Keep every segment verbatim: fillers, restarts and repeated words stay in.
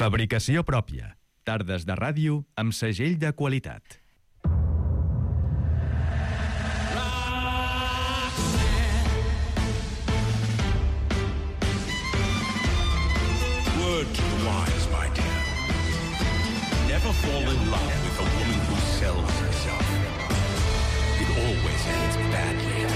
Fabricació pròpia. Tardes de ràdio amb segell de qualitat. Word to the wise, my dear. Never fall in love with a woman who sells herself. It always ends badly.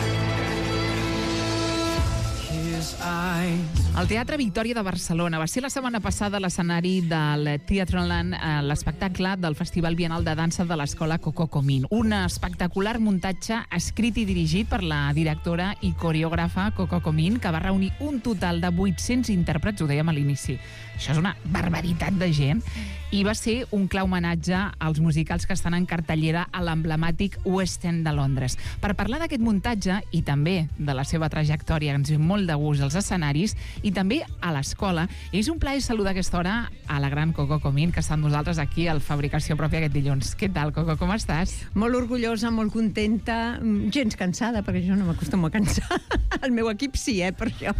His eyes. El Teatre Victòria de Barcelona va ser la setmana passada l'escenari del Theaterland, l'espectacle del Festival Bienal de Dansa de l'Escola Coco Comín. Un espectacular muntatge escrit i dirigit per la directora i coreògrafa Coco Comín, que va reunir un total de vuit-cents intèrprets, ho dèiem a l'inici. Això és una barbaritat de gent. I va ser un clar homenatge als musicals que estan en cartellera a l'emblemàtic West End de Londres. Per parlar d'aquest muntatge i també de la seva trajectòria, ens ve molt de gust als escenaris i també a l'escola, és un plaer saludar a aquesta hora a la gran Coco Comín, que està amb nosaltres aquí al Fabricació Pròpia aquest dilluns. Què tal, Coco, com estàs? Molt orgullosa, molt contenta, gens cansada, perquè jo no m'acostumo a cansar. El meu equip sí, eh, per això.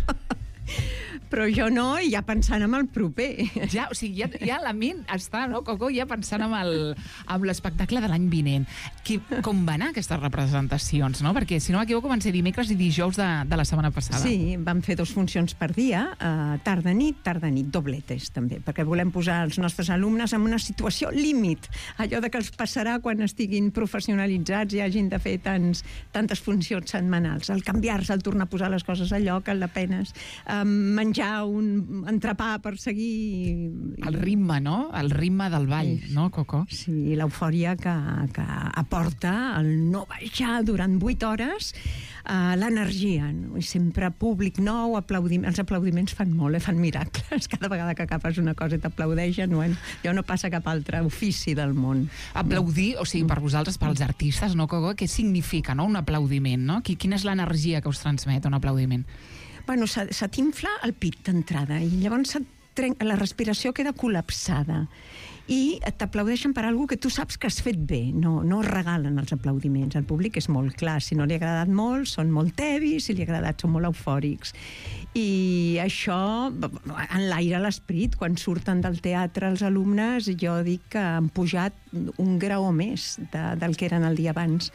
Però jo no, i ja pensant en el proper. Ja, o sigui, ja, ja la ment està, no, Coco, ja pensant en el, amb l'espectacle de l'any vinent. Que, com van anar aquestes representacions, no? Perquè, si no m'equivoco, van ser dimecres i dijous de, de la setmana passada. Sí, vam fer dos funcions per dia, uh, tarda-nit, tarda-nit, dobletes, també, perquè volem posar els nostres alumnes en una situació límit, allò de que els passarà quan estiguin professionalitzats i hagin de fer tants, tantes funcions setmanals. El canviar-se, el tornar a posar les coses a lloc, el de penes, um, menjar un entrepà per seguir... El ritme, no? El ritme del ball, sí. No, Coco? Sí, l'eufòria que, que aporta el no baixar durant vuit hores, uh, l'energia, no? I sempre públic nou, aplaudim... els aplaudiments fan molt, eh? Fan miracles. Cada vegada que agafes una cosa i t'aplaudeixen, no? Jo no passa cap altre ofici del món. Aplaudir, o sigui, per vosaltres, pels artistes, no, Coco? Què significa, no?, un aplaudiment, no? Quina és l'energia que us transmet un aplaudiment? Bueno, se, se t'infla el pit d'entrada i llavors trenca, la respiració queda col·lapsada i t'aplaudeixen per alguna que tu saps que has fet bé, no, no regalen els aplaudiments. El públic és molt clar, si no li ha agradat molt són molt tevis, si li ha agradat són molt eufòrics, i això enlaira l'esperit. Quan surten del teatre els alumnes, jo dic que han pujat un grau més de, del que eren el dia abans.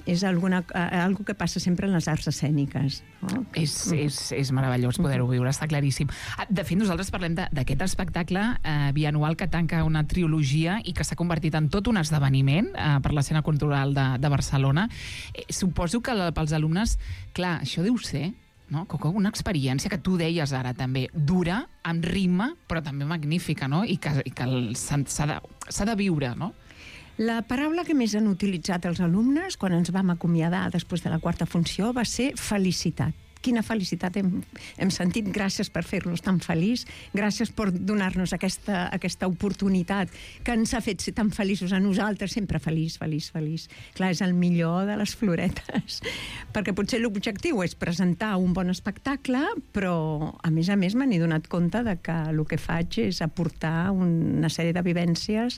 És alguna, algo que passa sempre en les arts escèniques, no? És, és, és meravellós poder-ho viure, està claríssim. De fet, nosaltres parlem d'aquest espectacle eh, bianual que tanca una trilogia i que s'ha convertit en tot un esdeveniment eh, per l'escena cultural de, de Barcelona. Eh, suposo que pels alumnes, clar, això deu ser, no, Coco, una experiència que tu deies ara també, dura, amb ritme, però també magnífica, no? I que, i que s'ha de, s'ha de viure, no? La paraula que més han utilitzat els alumnes quan ens vam acomiadar després de la quarta funció va ser felicitat. Quina felicitat hem, hem sentit. Gràcies per fer-nos tan feliç, gràcies per donar-nos aquesta, aquesta oportunitat que ens ha fet ser tan feliços a nosaltres, sempre feliç, feliç, feliç. Clar, és el millor de les floretes, perquè potser l'objectiu és presentar un bon espectacle, però a més a més m'he donat compte de que el que faig és aportar una sèrie de vivències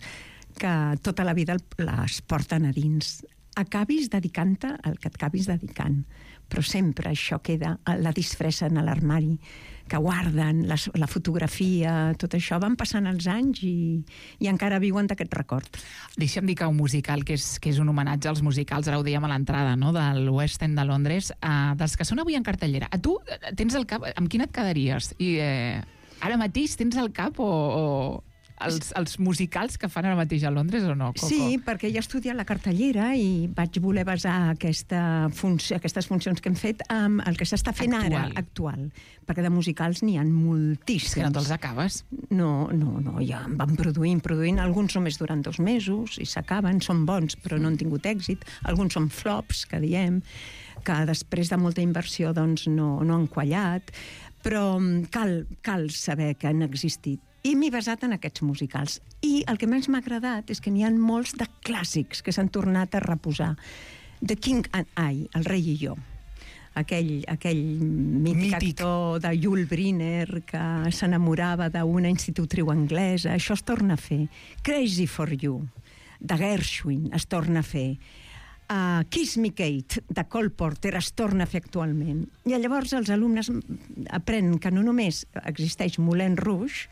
que tota la vida les porten a dins. Acabis dedicant-te el que et acabis dedicant, però sempre això queda, la disfressen a l'armari, que guarden la, la fotografia, tot això. Van passant els anys i, i encara viuen d'aquest record. Deixa'm dir que un musical que és, que és un homenatge als musicals, ara ho dèiem a l'entrada, no?, del West End de Londres, eh, dels que són avui en cartellera. A tu tens el cap, amb quin et quedaries? I eh, ara mateix tens el cap o... o... Els, els musicals que fan ara mateix a Londres o no, Coco? Sí, perquè ja he estudiat la cartellera i vaig voler basar aquesta funció, aquestes funcions que hem fet amb el que s'està fent actual. ara, actual. Perquè de musicals n'hi ha moltíssims. És que no te'ls acabes? No, no, no, ja en van produint, produint. Alguns només duran dos mesos i s'acaben, són bons, però no han tingut èxit. Alguns són flops, que diem, que després de molta inversió doncs, no, no han quallat. Però cal, cal saber que han existit. I m'he basat en aquests musicals. I el que més m'ha agradat és que n'hi ha molts de clàssics que s'han tornat a reposar. The King and I, El rei i jo. Aquell, aquell mític, mític actor de Yul Brynner que s'enamorava d'una institutriu anglesa. Això es torna a fer. Crazy for You, de Gershwin, es torna a fer. Uh, Kiss Me Kate, de Cole Porter, es torna a fer actualment. I llavors els alumnes aprenen que no només existeix Moulin Rouge,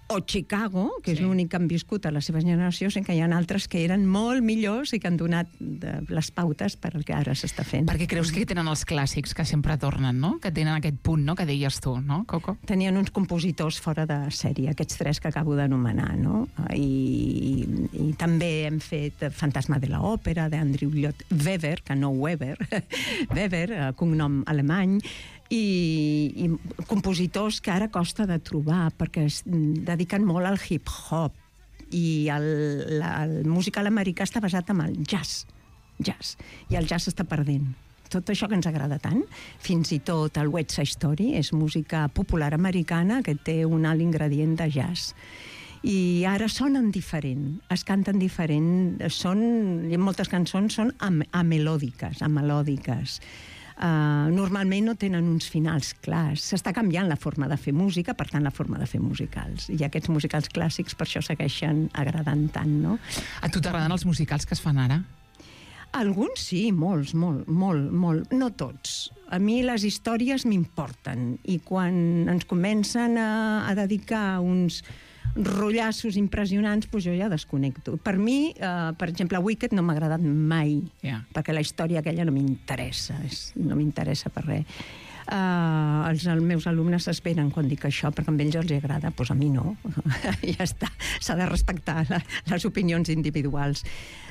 o Chicago, que és Sí. l'únic que han viscut a la seva generació, sent que hi ha altres que eren molt millors i que han donat de, les pautes per al que ara s'està fent. Perquè creus que tenen els clàssics que sempre tornen, no? Que tenen aquest punt, no?, que deies tu, no, Coco? Tenien uns compositors fora de sèrie, aquests tres que acabo d'anomenar, no? I, i també hem fet Fantasma de l'Òpera, d'Andrew Lloyd Webber, que no Weber, Weber, eh, cognom alemany, i, i compositors que ara costa de trobar perquè es dediquen molt al hip-hop i el, la, el musical americà està basat en el jazz, jazz i el jazz està perdent. Tot això que ens agrada tant, fins i tot el West Side Story és música popular americana que té un alt ingredient de jazz. I ara sonen diferent, es canten diferent, són, moltes cançons són am, amelòdiques, amelòdiques. Uh, normalment no tenen uns finals clars. S'està canviant la forma de fer música, per tant la forma de fer musicals. I aquests musicals clàssics per això segueixen agradant tant, no? A tu t'agraden els musicals que es fan ara? Alguns sí, molts, molt, molt, molt. No tots. A mi les històries m'importen i quan ens comencen a, a dedicar uns rotllassos impressionants, doncs jo ja desconnecto. Per mi, eh, per exemple, Wicked no m'ha agradat mai, Yeah. perquè la història aquella no m'interessa, és- no m'interessa per res. Uh, els, els meus alumnes s'esperen quan dic això, perquè a ells els agrada, doncs a mi no. Ja està, s'ha de respectar la, les opinions individuals.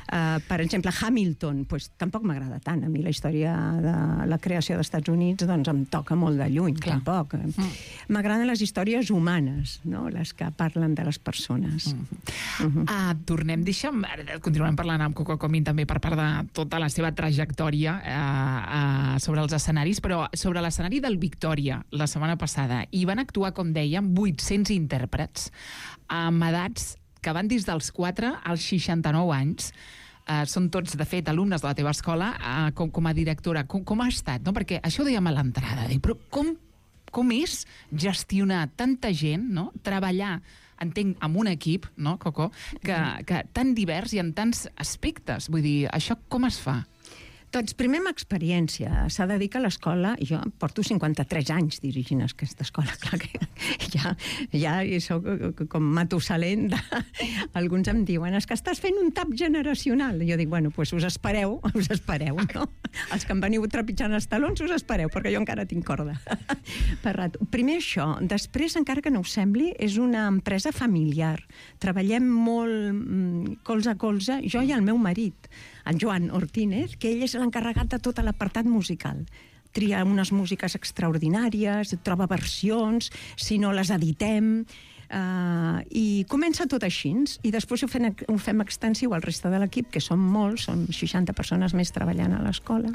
Uh, per exemple, Hamilton, doncs, tampoc m'agrada tant. A mi la història de la creació dels Estats Units doncs, em toca molt de lluny, Clar. tampoc. Mm. M'agraden les històries humanes, no? Les que parlen de les persones. Mm. Uh-huh. Uh, tornem, deixa'm, ara continuem parlant amb Coco Comín també per part de tota la seva trajectòria uh, uh, sobre els escenaris, però sobre l'escenari del Victòria la setmana passada hi van actuar, com dèiem, vuit-cents intèrprets amb edats que van des dels quatre als seixanta-nou anys. Uh, són tots, de fet, alumnes de la teva escola, uh, com, com a directora. Com, com ha estat? No? Perquè això ho dèiem a l'entrada, dic, però com, com és gestionar tanta gent, no? Treballar, entenc, amb un equip, no, Coco, que, que tan divers i en tants aspectes. Vull dir, això com es fa? Doncs primer amb experiència. S'ha de dir que l'escola... Jo porto cinquanta-tres anys dirigint aquesta escola. Clar que ja, ja soc com Matusalén. De... Alguns em diuen, és que estàs fent un tap generacional. Jo dic, bueno, doncs us espereu, us espereu, no? Els que em veniu trepitjant els talons, us espereu, perquè jo encara tinc corda. Per rato. Primer això. Després, encara que no us sembli, és una empresa familiar. Treballem molt mm, colze a colze, jo i el meu marit, el Joan Ortínez, que ell és l'encarregat de tot l'apartat musical. Tria unes músiques extraordinàries, troba versions, si no les editem, uh, i comença tot així, i després ho fem, ho fem extensiu al reste de l'equip, que som molts, són seixanta persones més treballant a l'escola.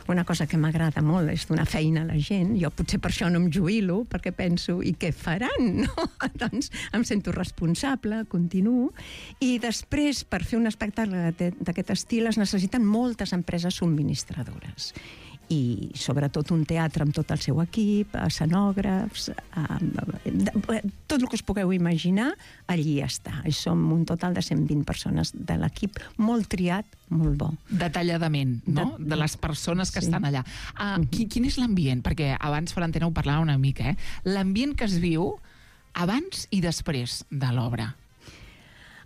Una cosa que m'agrada molt és donar feina a la gent. Jo potser per això no em jubilo, perquè penso, i què faran? No? Doncs em sento responsable, continuo. I després, per fer un espectacle d'aquest estil, es necessiten moltes empreses subministradores. I sobretot un teatre amb tot el seu equip, escenògrafs, eh, tot el que us pugueu imaginar, allí està. I som un total de cent vint persones de l'equip, molt triat, molt bo. Detalladament, no? De, de les persones que sí. estan allà. Uh, uh-huh. quin, quin és l'ambient? Perquè abans, per l'antena, ho parlava una mica, eh? L'ambient que es viu abans i després de l'obra.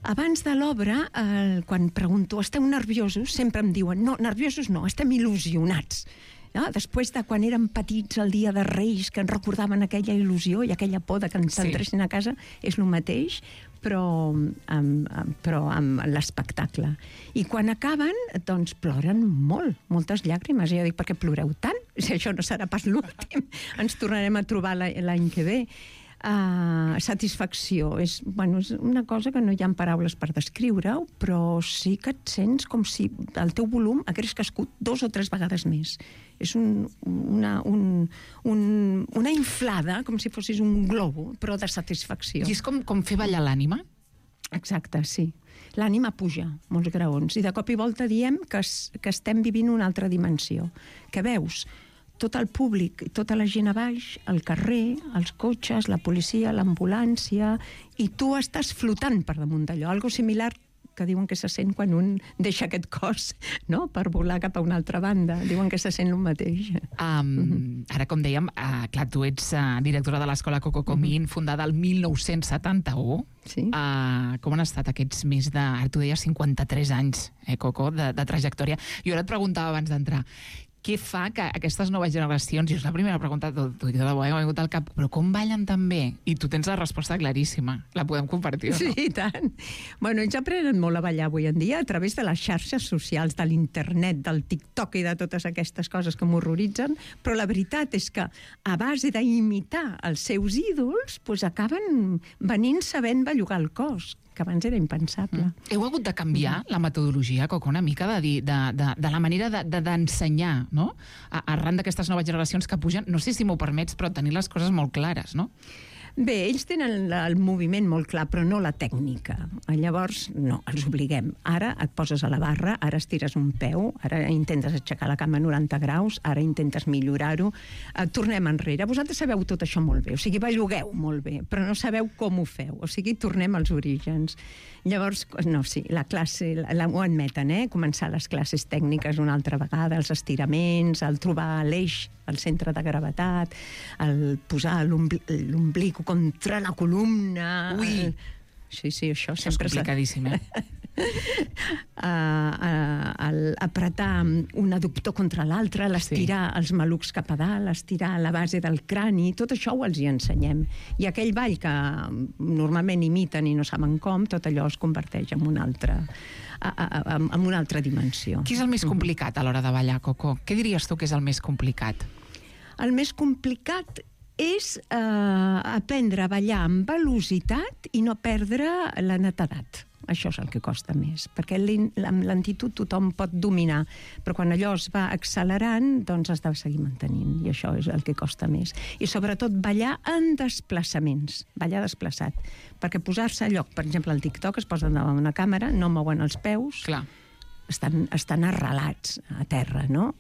Abans de l'obra, eh, quan pregunto, esteu nerviosos? Sempre em diuen, no, nerviosos no, estem il·lusionats. No? Després de quan érem petits el dia de Reis, que ens recordaven aquella il·lusió i aquella por de que ens entressin a casa, és el mateix, però amb, amb, però amb l'espectacle. I quan acaben, doncs ploren molt, moltes llàgrimes. I jo dic, per què ploreu tant? Si això no serà pas l'últim, ens tornarem a trobar l'any que ve. Uh, satisfacció és, bueno, és una cosa que no hi ha paraules per descriure-ho, però sí que et sents com si el teu volum hagués crescut dos o tres vegades més. És un, una, un, un, una inflada, com si fossis un globo, però de satisfacció. I és com, com fer ballar l'ànima? Exacte, sí. L'ànima puja molts graons i de cop i volta diem que, es, que estem vivint una altra dimensió, que veus tot el públic, tota la gent a baix, el carrer, els cotxes, la policia, l'ambulància, i tu estàs flotant per damunt d'allò, algo similar que diuen que se sent quan un deixa aquest cos, no?, per volar cap a una altra banda. Diuen que se sent el mateix. Um, mm-hmm. Ara, com dèiem, uh, clar, tu ets uh, directora de l'escola Coco Comín, mm-hmm. fundada el mil nou-cents setanta-u. Sí. Uh, com han estat aquests més de, ara tu deies, cinquanta-tres anys, eh, Coco, de, de trajectòria. Jo ara et preguntava abans d'entrar, què fa que aquestes noves generacions, i és la primera pregunta de tot, de debò, m'ha vingut al cap, però com ballen tan bé? I tu tens la resposta claríssima. La podem compartir, o no? Sí, i tant. Bueno, ells aprenen molt a ballar avui en dia a través de les xarxes socials, de l'internet, del TikTok i de totes aquestes coses que m'horroritzen, però la veritat és que a base d'imitar els seus ídols, doncs acaben venint sabent bellugar el cos, que abans era impensable. Mm. Heu hagut de canviar mm. la metodologia, Coco, una mica de, dir, de, de, de la manera d'ensenyar, de, no? Arran d'aquestes noves generacions que pugen, no sé si m'ho permets, però tenir les coses molt clares, no? Bé, ells tenen el moviment molt clar, però no la tècnica. Llavors, no, els obliguem. Ara et poses a la barra, ara estires un peu, ara intentes aixecar la cama a noranta graus, ara intentes millorar-ho. Eh, tornem enrere. Vosaltres sabeu tot això molt bé, o sigui, bellugueu molt bé, però no sabeu com ho feu. O sigui, tornem als orígens. Llavors, no, sí, la classe, la, la, ho admeten, eh? Començar les classes tècniques una altra vegada, els estiraments, el trobar l'eix, el centre de gravetat, el posar l'omblic contra la columna... Ui! El... Sí, sí, això, això sempre... és complicadíssim, eh? uh, uh, el apretar un adductor contra l'altre, l'estirar sí. els malucs cap a dalt, estirar la base del crani, tot això ho els hi ensenyem. I aquell ball que normalment imiten i no saben com, tot allò es converteix en una altra, a, a, a, en una altra dimensió. Què és el més complicat a l'hora de ballar, Coco? Què diries tu que és el més complicat? El més complicat és eh, aprendre a ballar amb velocitat i no perdre la netedat. Això és el que costa més, perquè amb lentitud tothom pot dominar, però quan allò es va accelerant, doncs has de seguir mantenint, i això és el que costa més. I sobretot ballar en desplaçaments, ballar desplaçat, perquè posar-se a lloc, per exemple, al TikTok es posen davant una càmera, no mouen els peus, clar. Estan, estan arrelats a terra, no?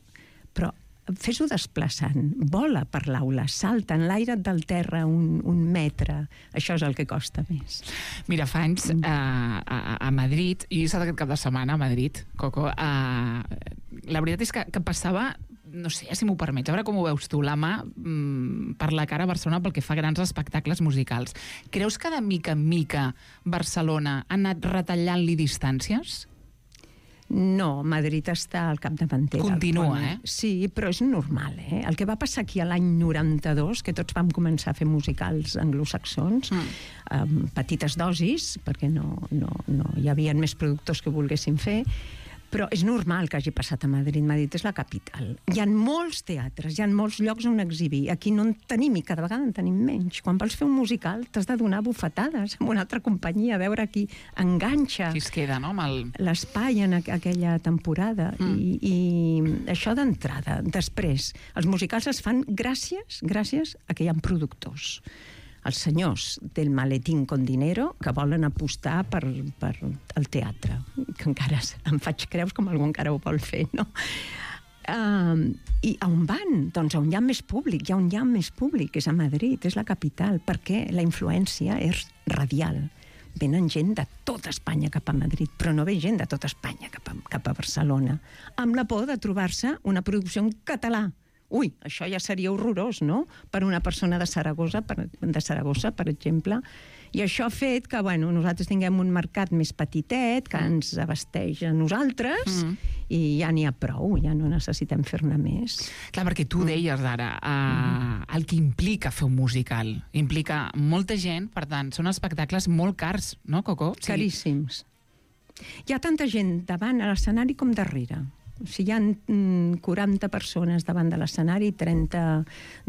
Però fes-ho desplaçant, vola per l'aula, salta en l'aire del terra un, un metre. Això és el que costa més. Mira, fa anys mm. a, a, a Madrid, i he estat aquest cap de setmana a Madrid, Coco, a, la veritat és que, que passava, no sé si m'ho permets, a veure com ho veus tu, la mà mm, per la cara a Barcelona pel que fa a grans espectacles musicals. Creus que de mica en mica Barcelona ha anat retallant-li distàncies? No, Madrid està al capdavanter. Continua, eh? Sí, però és normal, eh? El que va passar aquí a l'any noranta-dos, que tots vam començar a fer musicals anglosaxons, mm. amb petites dosis, perquè no, no, no hi havia més productors que volguessin fer, però és normal que hagi passat a Madrid. Madrid és la capital. Hi ha molts teatres, hi ha molts llocs on exhibir. Aquí no en tenim i cada vegada en tenim menys. Quan vols fer un musical t'has de donar bufetades amb una altra companyia, a veure qui enganxa qui es queda, no? El... l'espai en aqu aquella temporada. Mm. I, I això d'entrada. Després, els musicals es fan gràcies, gràcies a que hi ha productors. Els senyors del maletín con dinero que volen apostar per, per el teatre, que encara em faig creus com algú encara ho vol fer, no? Uh, I a on van? Doncs on hi ha més públic, hi ha on hi ha més públic, és a Madrid, és la capital, perquè la influència és radial. Venen gent de tota Espanya cap a Madrid, però no ve gent de tota Espanya cap a, cap a Barcelona, amb la por de trobar-se una producció en català. Ui, això ja seria horrorós, no?, per una persona de Saragossa, per, de Saragossa, per exemple. I això ha fet que, bueno, nosaltres tinguem un mercat més petitet, que ens abasteix a nosaltres, mm. i ja n'hi ha prou, ja no necessitem fer-ne més. Clar, perquè tu deies ara, uh, mm. el que implica fer un musical. Implica molta gent, per tant, són espectacles molt cars, no, Coco? Sí. Caríssims. Hi ha tanta gent davant a l'escenari com darrere. O sigui, hi ha quaranta persones davant de l'escenari, trenta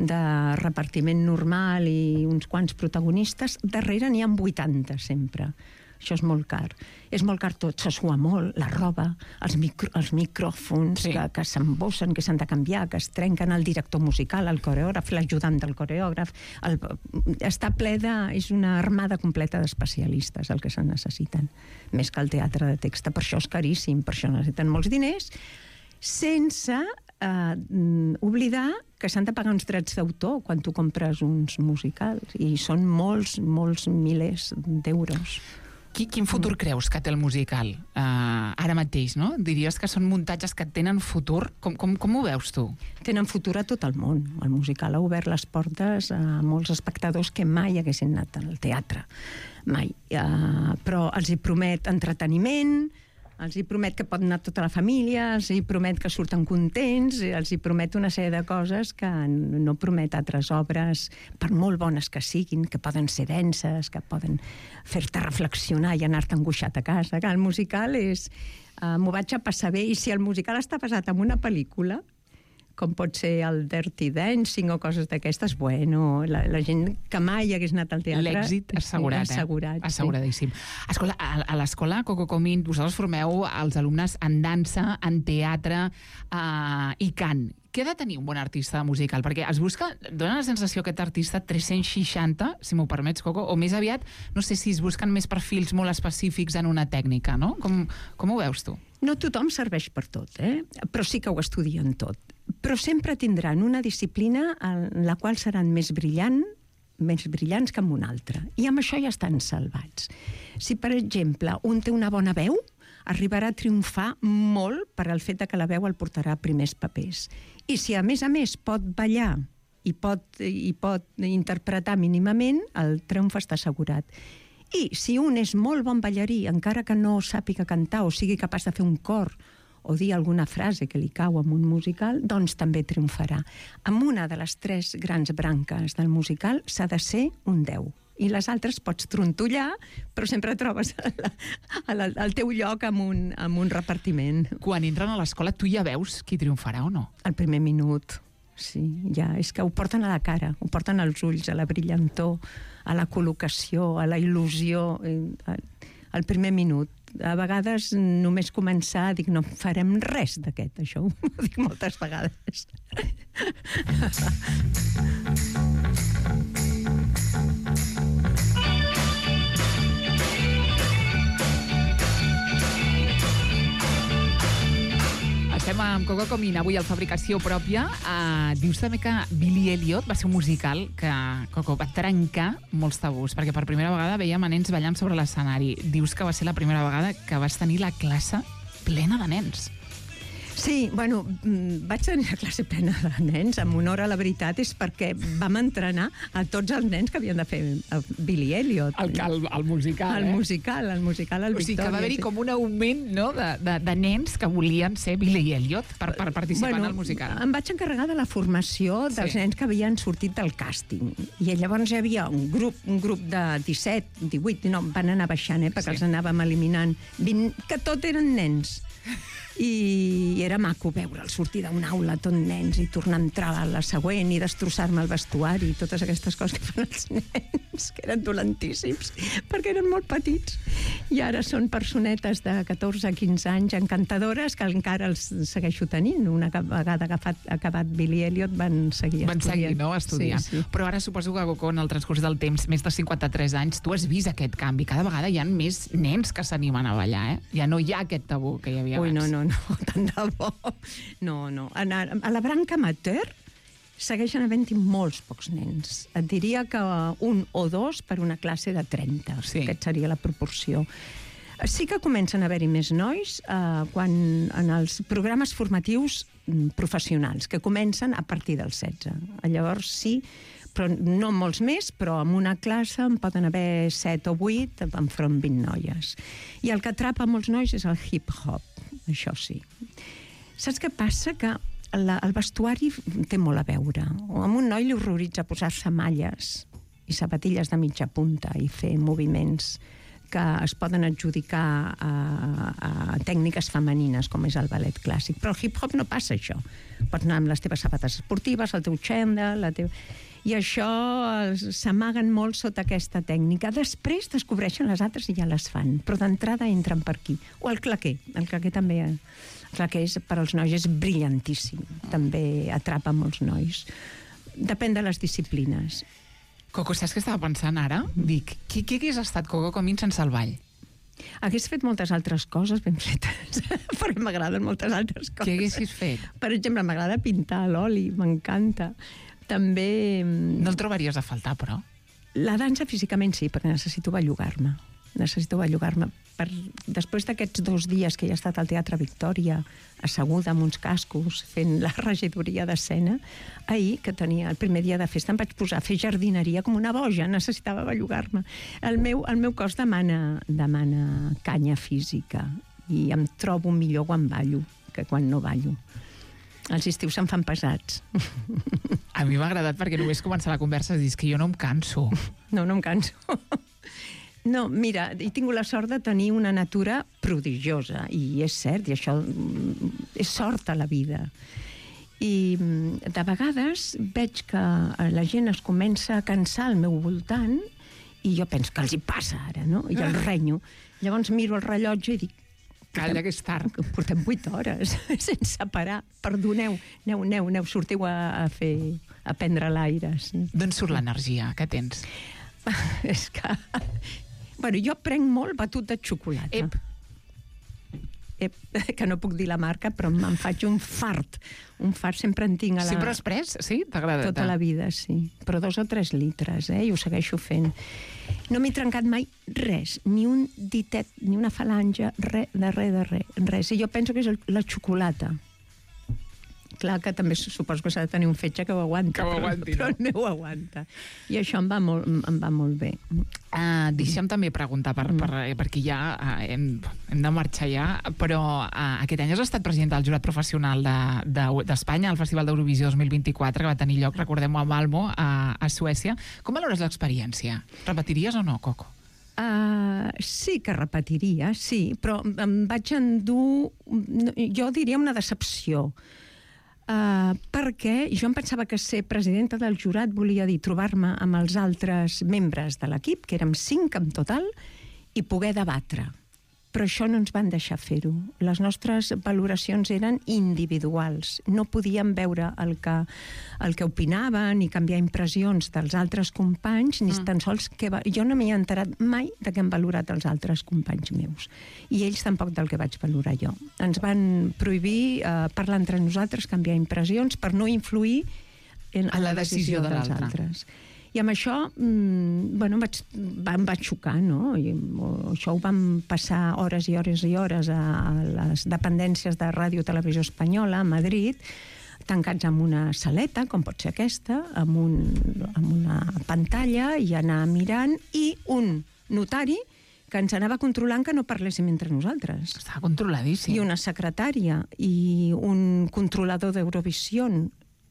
de repartiment normal i uns quants protagonistes. Darrere n'hi ha vuitanta, sempre. Això és molt car. És molt car tot, se sua molt, la roba, els, micro, els micròfons sí. que, que s'embossen, que s'han de canviar, que es trenquen, el director musical, el coreògraf, l'ajudant del coreògraf. El, està ple de... És una armada completa d'especialistes el que se'n necessiten, més que el teatre de text. Per això és caríssim, per això necessiten molts diners, sense eh, oblidar que s'han de pagar uns drets d'autor quan tu compres uns musicals, i són molts, molts milers d'euros. Qui, quin futur creus que té el musical uh, ara mateix, no? Diries que són muntatges que tenen futur. Com, com, com ho veus tu? Tenen futur a tot el món. El musical ha obert les portes a molts espectadors que mai haguessin anat al teatre. Mai. Uh, però els hi promet entreteniment, els hi promet que pot anar tota la família, els hi promet que surten contents, els hi promet una sèrie de coses que no promet altres obres, per molt bones que siguin, que poden ser denses, que poden fer-te reflexionar i anar-te angoixat a casa. Que el musical és... Uh, m'ho vaig a passar bé, i si el musical està basat en una pel·lícula, com pot ser el Dirty Dancing o coses d'aquestes, bueno, la, la gent que mai hagués anat al teatre... L'èxit assegurat, sí, assegurat, eh? Asseguradíssim. Sí. Escolta, a, a l'escola Coco Comín, vosaltres formeu els alumnes en dansa, en teatre uh, i cant. Què ha de tenir un bon artista musical? Perquè es busca, dona la sensació aquest artista tres-cents seixanta, si m'ho permets, Coco, o més aviat, no sé si es busquen més perfils molt específics en una tècnica, no? Com, com ho veus tu? No tothom serveix per tot, eh? Però sí que ho estudien tot. Però sempre tindran una disciplina en la qual seran més brillant, més brillants que en una altra. I amb això ja estan salvats. Si, per exemple, un té una bona veu, arribarà a triomfar molt per al fet que la veu el portarà a primers papers. I si, a més a més, pot ballar i pot, i pot interpretar mínimament, el triomf està assegurat. I si un és molt bon ballarí, encara que no sàpiga cantar o sigui capaç de fer un cor o dir alguna frase que li cau en un musical, doncs també triomfarà. Amb una de les tres grans branques del musical s'ha de ser un deu. I les altres pots trontollar, però sempre trobes el teu lloc amb un, amb un repartiment. Quan entren a l'escola, tu ja veus qui triomfarà o no? El primer minut, sí, ja. És que ho porten a la cara, ho porten als ulls, a la brillantor, a la col·locació, a la il·lusió, al primer minut. A vegades, només començar, dic, no farem res d'aquest, això ho dic moltes vegades. Estem amb Coco Comín, avui al Fabricació Pròpia. Uh, dius també que Billy Elliot va ser un musical que, Coco, va trencar molts tabús, perquè per primera vegada veiem a nens ballant sobre l'escenari. Dius que va ser la primera vegada que vas tenir la classe plena de nens. Sí, bueno, vaig tenir la classe plena de nens, amb honor a la veritat, és perquè vam entrenar a tots els nens que havien de fer Billy Elliot. El, el, el musical, el eh? musical, el musical, el o sigui, Victòria. que va haver-hi sí. com un augment, no?, de, de, de nens que volien ser Billy Elliot per, per participar bueno, en el musical. Em vaig encarregar de la formació dels sí. nens que havien sortit del càsting. I llavors hi havia un grup, un grup de disset, divuit, no, van anar baixant, eh, perquè sí. els anàvem eliminant, vint, que tot eren nens. I era maco veure'l sortir d'una aula tot nens i tornar a entrar a la següent i destrossar-me el vestuari i totes aquestes coses que fan els nens, que eren dolentíssims, perquè eren molt petits. I ara són personetes de catorze a quinze anys encantadores que encara els segueixo tenint. Una vegada agafat, acabat Billy Elliot van seguir van estudiant. Van seguir, no?, estudiant. Sí, sí. Però ara suposo que, Coco, en el transcurs del temps, més de cinquanta-tres anys, tu has vist aquest canvi. Cada vegada hi ha més nens que s'animen a ballar, eh? Ja no hi ha aquest tabú que hi havia Ui, abans. no, no, no, tant de bo. No, no. A, a la branca amateur segueixen havent-hi molts pocs nens. Et diria que un o dos per una classe de trenta. Sí. Aquesta seria la proporció. Sí que comencen a haver-hi més nois eh, quan en els programes formatius professionals, que comencen a partir dels setze. Llavors sí, però no molts més, però en una classe en poden haver set o vuit, enfront vint noies. I el que atrapa molts nois és el hip-hop, això sí. Saps què passa? Que la, el vestuari té molt a veure. A un noi li horroritza posar-se malles i sabatilles de mitja punta i fer moviments que es poden adjudicar a, a tècniques femenines, com és el ballet clàssic. Però el hip-hop no passa això. Pots anar amb les teves sabates esportives, el teu xandall, la teva... I això s'amaguen molt sota aquesta tècnica. Després descobreixen les altres i ja les fan, però d'entrada entren per aquí. O el claquer. El claquer també... El claquer és, per als nois és brillantíssim. També atrapa molts nois. Depèn de les disciplines. Coco, saps què estava pensant ara? Dic, qui, qui hagués estat Coco Comín sense el ball? Hagués fet moltes altres coses ben fetes, perquè m'agraden moltes altres coses. Què haguessis fet? Per exemple, m'agrada pintar a l'oli, m'encanta. També... No el trobaries a faltar, però? La dansa físicament sí, perquè necessito bellugar-me. necessito bellugar-me. Per, després d'aquests dos dies que he estat al Teatre Victòria, asseguda amb uns cascos, fent la regidoria d'escena, ahir, que tenia el primer dia de festa, em vaig posar a fer jardineria com una boja, necessitava bellugar-me. El meu, el meu cos demana, demana canya física i em trobo millor quan ballo que quan no ballo. Els estius se'n fan pesats. A mi m'ha agradat perquè només començar la conversa i dius que jo no em canso. No, no em canso. No, mira, he tingut la sort de tenir una natura prodigiosa, i és cert, i això és sort a la vida. I de vegades veig que la gent es comença a cansar al meu voltant i jo penso que els hi passa ara, no? I el renyo. Llavors miro el rellotge i dic, calla, que és tard. Portem vuit hores sense parar. Perdoneu, aneu, aneu, aneu, sortiu a, a fer, a prendre l'aire. Sí. D'on surt l'energia? Què tens? És que... Bueno, jo prenc molt batut de xocolata. Ep. Ep, que no puc dir la marca, però me'n faig un fart. Un fart sempre en tinc a la... Sempre has pres? Sí? T'agrada? Tota la vida, sí. Però dos o tres litres, eh? I ho segueixo fent. No m'he trencat mai res, ni un ditet, ni una falange, res, de res, de res, res. I jo penso que és el, la xocolata. Clar que també suposo que s'ha de tenir un fetge que ho aguanta, que ho aguanti, però, no? però el meu aguanta. I això em va molt, em va molt bé. Uh, deixa'm també preguntar, per, per, perquè ja uh, hem, hem de marxar ja, però uh, aquest any has estat president del jurat professional d'Espanya de, de, al Festival d'Eurovisió dos mil vint-i-quatre, que va tenir lloc, recordem-ho, a Malmo, a, a Suècia. Com valores l'experiència? Repetiries o no, Coco? Uh, sí que repetiria, sí, però em vaig endur, jo diria una decepció. Uh, perquè jo em pensava que ser presidenta del jurat volia dir trobar-me amb els altres membres de l'equip, que érem cinc en total, i poder debatre. Però això no ens van deixar fer-ho. Les nostres valoracions eren individuals. No podíem veure el que, el que opinaven ni canviar impressions dels altres companys, ni mm. tan sols que... Va... Jo no m'hi he enterat mai de què han valorat els altres companys meus. I ells tampoc del que vaig valorar jo. Ens van prohibir eh, parlar entre nosaltres, canviar impressions, per no influir en, en la decisió, decisió de dels altres. I amb això, mmm, bueno, em vaig, em vaig xocar, no? I, o, això ho vam passar hores i hores i hores a, a les dependències de Ràdio Televisió Espanyola a Madrid, tancats en una saleta, com pot ser aquesta, amb, un, amb una pantalla, i anar mirant, i un notari que ens anava controlant que no parléssim entre nosaltres. Estava controladíssim. I una secretària, i un controlador d'Eurovisió.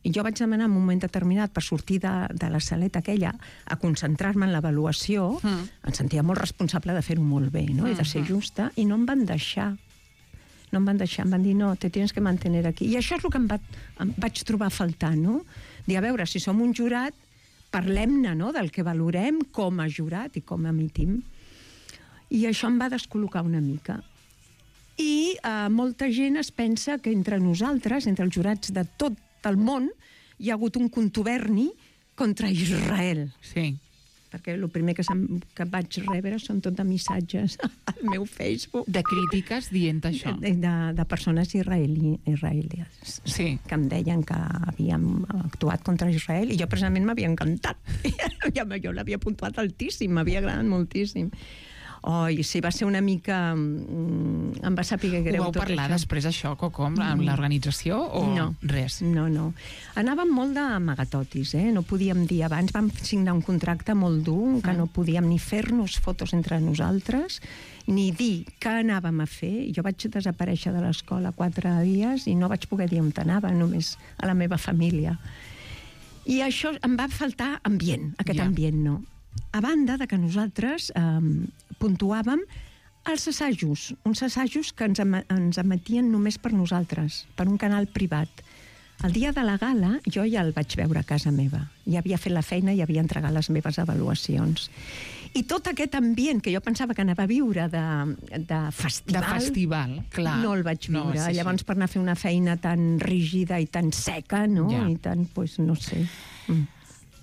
I jo vaig demanar en un moment determinat per sortir de, de la saleta aquella a concentrar-me en l'avaluació. Mm. Em sentia molt responsable de fer-ho molt bé, no? Mm-hmm. I de ser justa, i no em van deixar. No em van deixar, em van dir, no, te tienes que mantener aquí. I això és el que em, va, em vaig trobar a faltar, no? Dir, a veure, si som un jurat, parlem-ne, no?, del que valorem com a jurat i com emitim. I això em va descol·locar una mica. I eh, molta gent es pensa que entre nosaltres, entre els jurats de tot del món, hi ha hagut un contuberni contra Israel. Sí. Perquè el primer que, que vaig rebre són tot de missatges al meu Facebook. De crítiques dient això. De, de, de persones israeli, israelies. Sí. Que em deien que havíem actuat contra Israel, i jo precisament m'havia encantat. Jo l'havia puntuat altíssim, m'havia agradat moltíssim. Oi, sí, va ser una mica... Mm, em va saber greu ho vau tot parlar això. després, això, Coco, amb mm. l'organització o no, res? No, no. Anàvem molt d'amagatotis, eh? No podíem dir abans. Vam signar un contracte molt dur, que ah. no podíem ni fer-nos fotos entre nosaltres, ni dir què anàvem a fer. Jo vaig desaparèixer de l'escola quatre dies i no vaig poder dir on anava, només a la meva família. I això em va faltar ambient, aquest yeah. ambient no. A banda de que nosaltres eh, puntuàvem els assajos, uns assajos que ens, em ens emetien només per nosaltres, per un canal privat. El dia de la gala jo ja el vaig veure a casa meva. Ja havia fet la feina i havia entregat les meves avaluacions. I tot aquest ambient que jo pensava que anava a viure de, de festival... De festival, clar. No el vaig viure. No, sí, Llavors, sí. per anar a fer una feina tan rígida i tan seca, no? Ja. I tan, pues, no sé... Mm.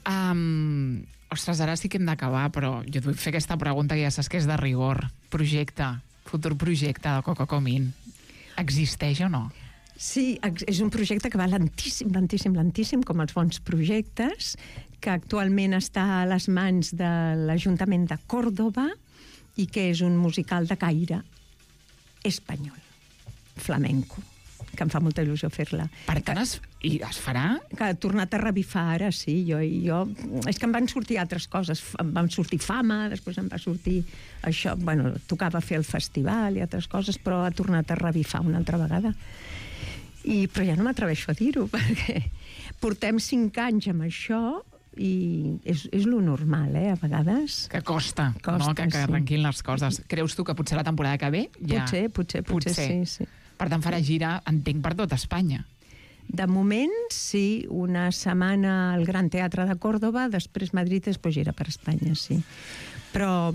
Um, ostres, ara sí que hem d'acabar, però jo et vull fer aquesta pregunta que ja saps que és de rigor. Projecte, futur projecte de Coco Comín. Existeix o no? Sí, és un projecte que va lentíssim, lentíssim, lentíssim, com els bons projectes, que actualment està a les mans de l'Ajuntament de Còrdova i que és un musical de caire espanyol, flamenco, que em fa molta il·lusió fer-la. Per tant, es, i es farà? Que ha tornat a revifar ara, sí. Jo, jo, és que em van sortir altres coses. Em van sortir Fama, després em va sortir això. Bueno, tocava fer el festival i altres coses, però ha tornat a revifar una altra vegada. I, però ja no m'atreveixo a dir-ho, perquè portem cinc anys amb això i és, és lo normal, eh, a vegades. Que costa, costa no? Que, que sí. arrenquin les coses. Creus tu que potser la temporada que ve ja... Potser, potser, potser, potser. sí, sí. Per tant, farà gira, entenc, per tot Espanya. De moment, sí. Una setmana al Gran Teatre de Còrdova, després Madrid, després gira per Espanya, sí. Però,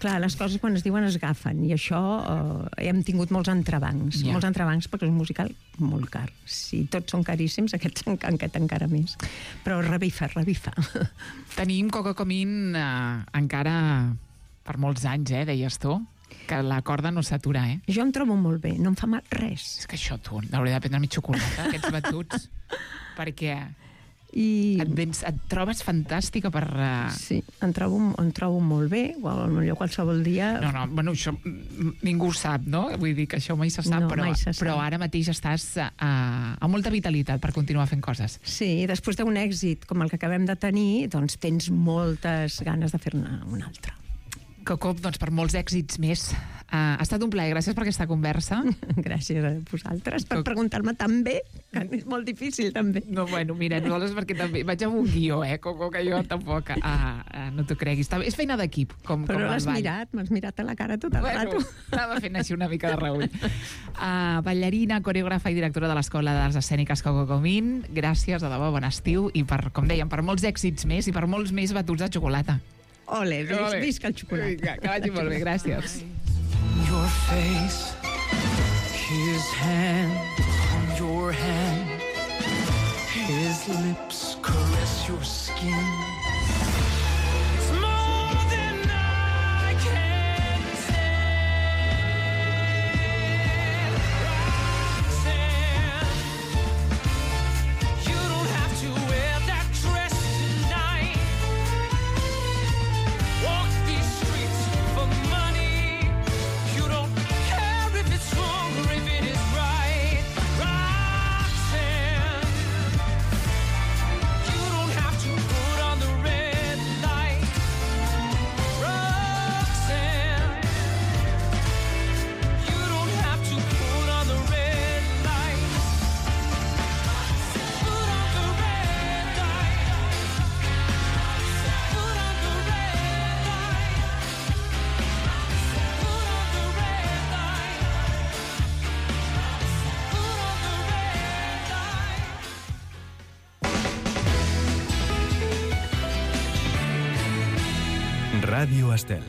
clar, les coses quan es diuen es agafen, i això eh, hem tingut molts entrebancs. Yeah. Molts entrebancs perquè és un musical molt car. Si tots són caríssims, aquest, aquest encara més. Però revifa, revifa. Tenim Coco Comín eh, encara per molts anys, eh, deies tu? Que la corda no s'atura, eh? Jo em trobo molt bé, no em fa mal res. És que això, tu, hauria de prendre mi xocolata, aquests batuts, perquè I... et, vens, et trobes fantàstica per... Uh... Sí, em trobo, em trobo molt bé, potser qualsevol dia... No, no, bueno, això ningú ho sap, no? Vull dir que això mai se sap, no, però, se sap. però ara mateix estàs uh, amb molta vitalitat per continuar fent coses. Sí, i després d'un èxit com el que acabem de tenir, doncs tens moltes ganes de fer-ne un altre. Coco, doncs per molts èxits més. Uh, ha estat un plaer, gràcies per aquesta conversa. Gràcies a vosaltres per preguntar-me tan bé, que és molt difícil també. No, bueno, mira, nosaltres perquè també vaig amb un guió, eh, Coco, que jo tampoc, uh, uh, no t'ho creguis. És feina d'equip, com, Però com el l'has ball. mirat, m'has mirat a la cara tot el Bueno, rato. anava fent així una mica de reull. Uh, ballarina, coreògrafa i directora de l'Escola d'Arts Escèniques Coco Comín, gràcies, de debò, bon estiu, i per, com dèiem, per molts èxits més i per molts més batuts de xocolata. Ole, vis, Ole. visca el xocolata. Vinga, que vagi molt bé, gràcies. Your face, his hand on your hand, his lips caress your skin. It's more than I can say. Roxanne, you don't have to wear that dress tonight. Walk these streets for money. You don't care if it's wrong or if it is right. Roxanne, you don't have to put on the red light. Roxanne, you don't have to put on the red light. Put on the red light. Put on the red light. Put on the red light. Put on the red light. Ràdio Estel.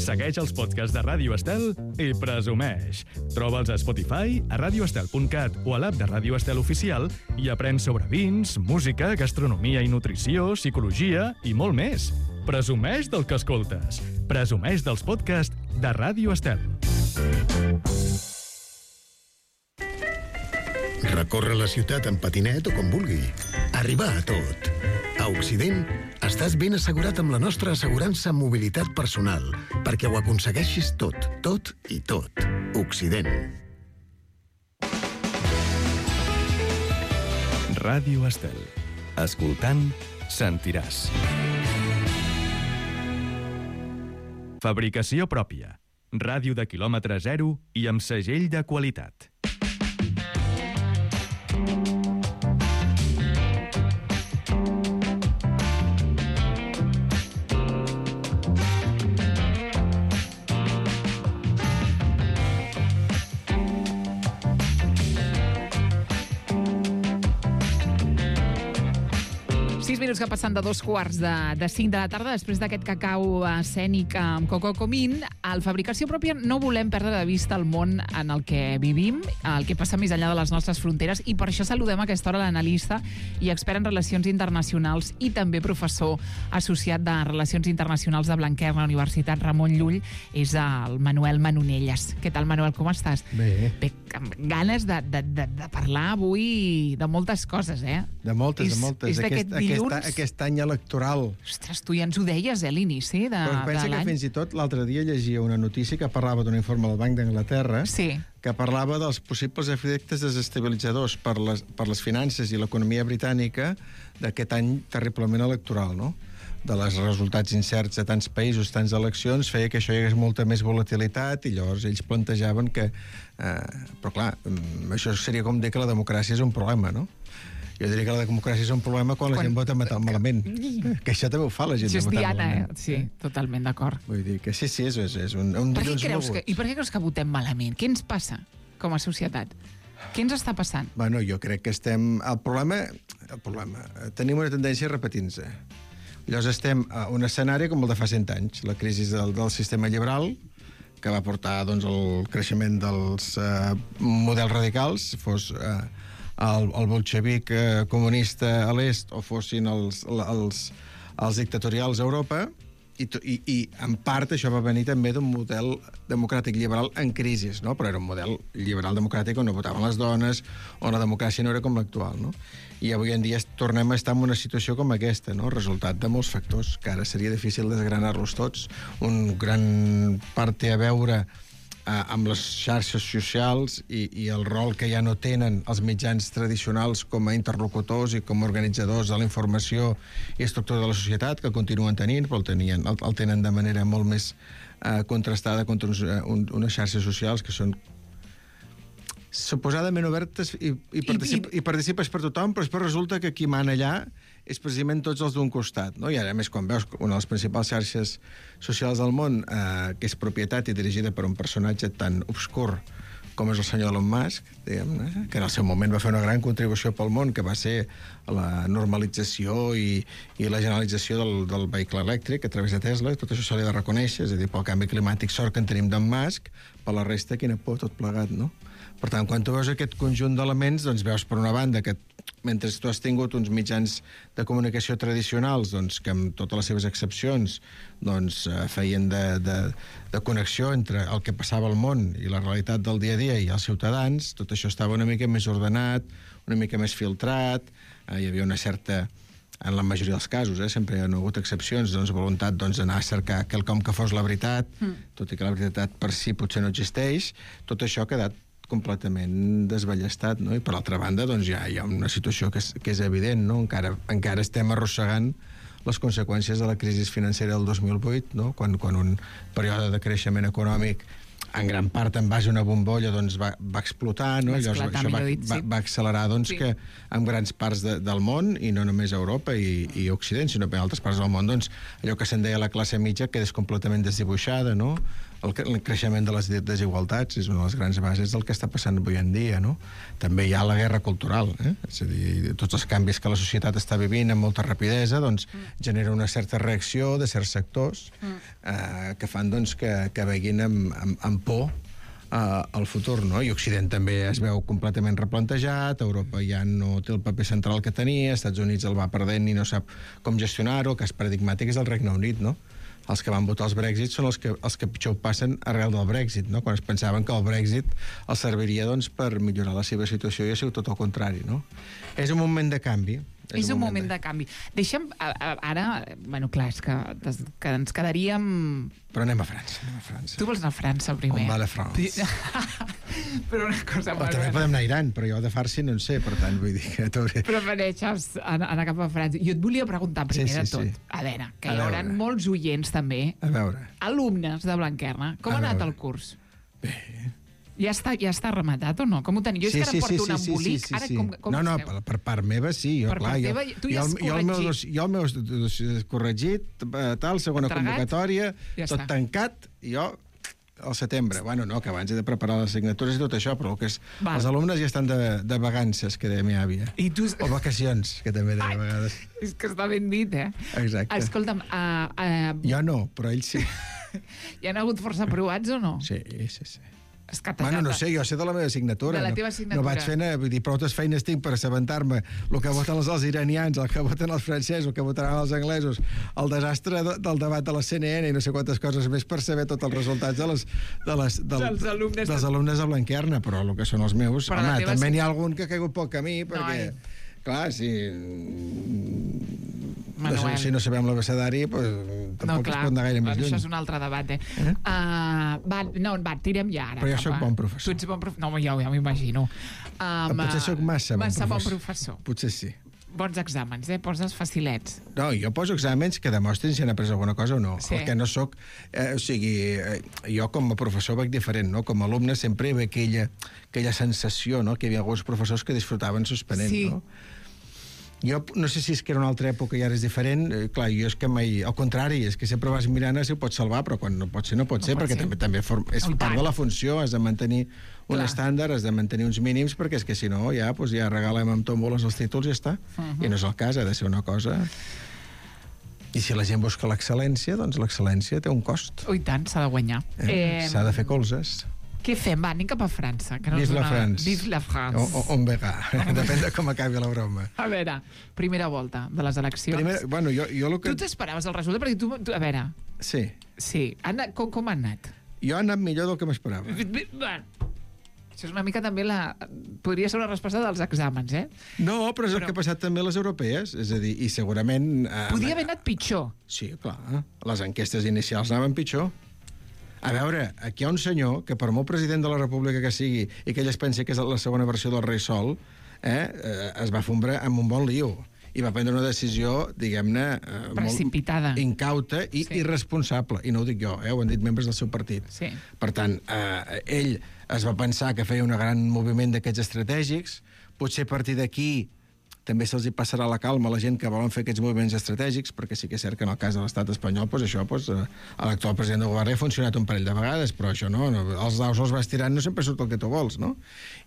Segueix els podcasts de Ràdio Estel i presumeix. Troba'ls a Spotify, a radioestel punt cat o a l'app de Ràdio Estel Oficial i aprèn sobre vins, música, gastronomia i nutrició, psicologia i molt més. Presumeix del que escoltes. Presumeix dels podcasts de Ràdio Estel. Recórrer la ciutat en patinet o com vulgui. Arribar a tot. A Occident, estàs ben assegurat amb la nostra assegurança en mobilitat personal, perquè ho aconsegueixis tot, tot i tot. Occident. Ràdio Estel. Escoltant, sentiràs. Fabricació pròpia. Ràdio de quilòmetre zero i amb segell de qualitat. Sis minuts que passen de dos quarts de, de cinc de la tarda, després d'aquest cacau escènic amb Coco Comín. Al Fabricació Pròpia no volem perdre de vista el món en el que vivim, el que passa més enllà de les nostres fronteres, i per això saludem a aquesta hora l'analista i expert en relacions internacionals i també professor associat de Relacions Internacionals de Blanquerna, la Universitat Ramon Llull, és el Manuel Manonelles. Què tal, Manuel, com estàs? Bé. Bé, amb ganes de, de, de, de parlar avui de moltes coses, eh? De moltes, és, de moltes. És d'aquest Aquest, dilluns junts... Aquest, aquest any electoral. Ostres, tu ja ens ho deies, eh, a l'inici de, Però pensa de que l'any. fins i tot l'altre dia llegia una notícia que parlava d'un informe del Banc d'Anglaterra Sí. que parlava dels possibles efectes desestabilitzadors per les, per les finances i l'economia britànica d'aquest any terriblement electoral, no? De les resultats incerts de tants països, tants eleccions, feia que això hi hagués molta més volatilitat i llavors ells plantejaven que... Eh, però clar, això seria com dir que la democràcia és un problema, no? Jo diria que la democràcia és un problema quan, quan... la gent vota malament. Que això també ho fa la gent. Això és de votar Diana, eh? malament. Sí, totalment d'acord. Vull dir que sí, sí, és, és, és un, un Per què dilluns creus que, mogut. I per què creus que votem malament? Què ens passa com a societat? Què ens està passant? Bueno, jo crec que estem... El problema... El problema... Tenim una tendència a repetir-nos. Llavors estem a un escenari com el de fa cent anys, la crisi del, del sistema liberal, que va portar doncs, el creixement dels eh, models radicals, fos eh, el, el bolxevic eh, comunista a l'est o fossin els, els, els dictatorials a Europa, i, i, i en part això va venir també d'un model democràtic liberal en crisi, no? Però era un model liberal democràtic on no votaven les dones, on la democràcia no era com l'actual, no? I avui en dia tornem a estar en una situació com aquesta, no? Resultat de molts factors, que ara seria difícil desgranar-los tots. Un gran part té a veure eh, amb les xarxes socials i, i el rol que ja no tenen els mitjans tradicionals com a interlocutors i com a organitzadors de la informació i estructura de la societat, que continuen tenint, però el, tenien, el, el tenen de manera molt més eh, contrastada contra uns, uh, un, unes xarxes socials que són suposadament obertes i, i, particip, I, i... i participes per tothom, però després resulta que qui mana allà és precisament tots els d'un costat, no? I ara, a més, quan veus una de les principals xarxes socials del món, eh, que és propietat i dirigida per un personatge tan obscur com és el senyor Elon Musk, diguem, que en el seu moment va fer una gran contribució pel món, que va ser la normalització i, i la generalització del, del vehicle elèctric a través de Tesla, i tot això se li ha de reconèixer, és a dir, pel canvi climàtic, sort que en tenim d'en Musk, per la resta, quina por, tot plegat, no? Per tant, quan tu veus aquest conjunt d'elements, doncs veus, per una banda, que mentre tu has tingut uns mitjans de comunicació tradicionals, doncs, que amb totes les seves excepcions doncs, eh, feien de, de, de connexió entre el que passava al món i la realitat del dia a dia i els ciutadans, tot això estava una mica més ordenat, una mica més filtrat, eh, hi havia una certa, en la majoria dels casos, eh, sempre hi ha hagut excepcions, doncs, voluntat doncs, d'anar a cercar quelcom que fos la veritat, mm. tot i que la veritat per si potser no existeix, tot això ha quedat completament desballestat, no? I per l'altra banda, doncs ja hi ha una situació que és, que és evident, no? Encara, encara estem arrossegant les conseqüències de la crisi financera del dos mil vuit, no? Quan, quan un període de creixement econòmic en gran part en base a una bombolla doncs va, va explotar, no? Va Llavors, esclatar, això va, millor dit, va, sí. va accelerar doncs, Sí. que en grans parts de, del món, i no només a Europa i, i Occident, sinó que en altres parts del món, doncs, allò que se'n deia la classe mitja quedés completament desdibuixada, no? El, el creixement de les desigualtats és una de les grans bases del que està passant avui en dia, no? També hi ha la guerra cultural, eh? És a dir, tots els canvis que la societat està vivint amb molta rapidesa, doncs, mm. genera una certa reacció de certs sectors mm. eh, que fan, doncs, que, que veguin amb, amb, amb por Uh, al futur, no? I Occident també es veu completament replantejat, Europa ja no té el paper central que tenia, Estats Units el va perdent i no sap com gestionar-ho, el cas paradigmàtic és el Regne Unit, no? Els que van votar els Brexit són els que, els que pitjor ho passen arrel del Brexit, no? Quan es pensaven que el Brexit els serviria, doncs, per millorar la seva situació i ha sigut tot el contrari, no? És un moment de canvi. És, és un moment, moment de... de canvi. Deixa'm, a, a, ara, bueno, clar, és que, que ens quedaríem... Però anem a França, anem a França. Tu vols anar a França primer? On va la France? Però una cosa... O també podem anar a Iran, però jo de farsi no en sé, per tant, vull dir que... Prefereixes anar, anar cap a França. Jo et volia preguntar primer sí, sí, de tot. Sí. A veure, que a hi haurà veure. molts oients també. A veure. Alumnes de Blanquerna. Com a ha anat veure. el curs? Bé... Ja està, ja està rematat o no? Com ho teniu? Jo sí, és que ara sí, porto sí, un sí, embolic. sí, sí, Ara, sí. com, com no, no, esteu? per, per part meva sí. Jo, per clar, part jo, teva, tu ja jo, has jo, el meu, corregit. jo el meu corregit, tal, segona Entregat? convocatòria, Ja tot està. tancat, i jo al setembre. Bueno, no, que abans he de preparar les assignatures i tot això, però el que és, Val. els alumnes ja estan de, de vacances, que deia mi àvia. I tu... O vacacions, que també deia Ai, a vegades. És que està ben dit, eh? Exacte. Escolta'm, uh, uh, Jo no, però ells sí. hi ha hagut força aprovats o no? Sí, sí, sí. És que Bueno, no sé, jo sé de la meva assignatura. De la no, teva assignatura. No vaig fent, vull dir, prou feines tinc per assabentar-me el que voten els, els iranians, el que voten els francesos, el que votaran els anglesos, el desastre de, del debat de la C N N i no sé quantes coses més per saber tots els resultats de les, de les, del, Dels alumnes dels de- alumnes de Blanquerna, però el que són els meus... Però Home, la teva també assign- n'hi ha algun que ha caigut poc camí, perquè... No, Clar, si... Manuel. Si no sabem l'abecedari, pues, tampoc No, es clar, pot anar gaire més això lluny. és un altre debat, eh? Eh? Uh, va, no, va, tirem ja ara. Però jo cap sóc a- bon professor. Tu ets bon professor? No, ja, ja m'imagino. Um, Potser sóc massa bon massa bon professor. professor. Potser sí. Bons exàmens, eh? Poses facilets. No, jo poso exàmens que demostrin si han après alguna cosa o no. Sí. El que no sóc... Eh, o sigui, eh, jo com a professor veig diferent, no? Com a alumne sempre hi havia aquella, aquella sensació, no?, que hi havia alguns professors que disfrutaven suspenent, Sí. no? Jo no sé si és que era una altra època i ara és diferent. Eh, clar, jo és que mai... Al contrari, és que sempre vas mirant si ho pots salvar, però quan no pot ser, no pot No ser, pot perquè ser. també, també form... és Oh, i part tant. de la funció, has de mantenir un Clar. estàndard, has de mantenir uns mínims, perquè és que si no, ja, doncs ja regalem amb tòmboles els títols i ja està. Uh -huh. I no és el cas, ha de ser una cosa... I si la gent busca l'excel·lència, doncs l'excel·lència té un cost. Oh, i tant, s'ha de guanyar. Eh? S'ha de fer colzes. Què fem? Va, anem cap a França. Que no és Vive la una- France. Vive la France. O, o, on verà. Depèn de com acabi la broma. A veure, primera volta de les eleccions. Primer, bueno, jo, jo el que... Tu t'esperaves el resultat? Perquè tu, tu a veure, Sí. sí, ha anat, com, com ha anat? Jo he anat millor del que m'esperava. Bueno, això és una mica també la... Podria ser una resposta dels exàmens, eh? No, però és el Però- que ha passat també a les europees. És a dir, i segurament... Eh, Podia haver anat pitjor. Sí, clar. Les enquestes inicials anaven pitjor. A veure, aquí hi ha un senyor que per molt president de la República que sigui i que ell es pensi que és la segona versió del rei Sol, eh, eh, es va fondre amb un bon lío i va prendre una decisió, diguem-ne... Eh, Precipitada. Molt incauta i Sí. irresponsable. I no ho dic jo, eh, ho han dit membres del seu partit. Sí. Per tant, eh, ell es va pensar que feia un gran moviment d'aquests estratègics, potser a partir d'aquí també se'ls hi passarà la calma a la gent que volen fer aquests moviments estratègics, perquè sí que és cert que en el cas de l'estat espanyol, doncs això, doncs, eh, a l'actual president del govern ha funcionat un parell de vegades, però això no, no els daus els vas tirant, no sempre surt el que tu vols, no?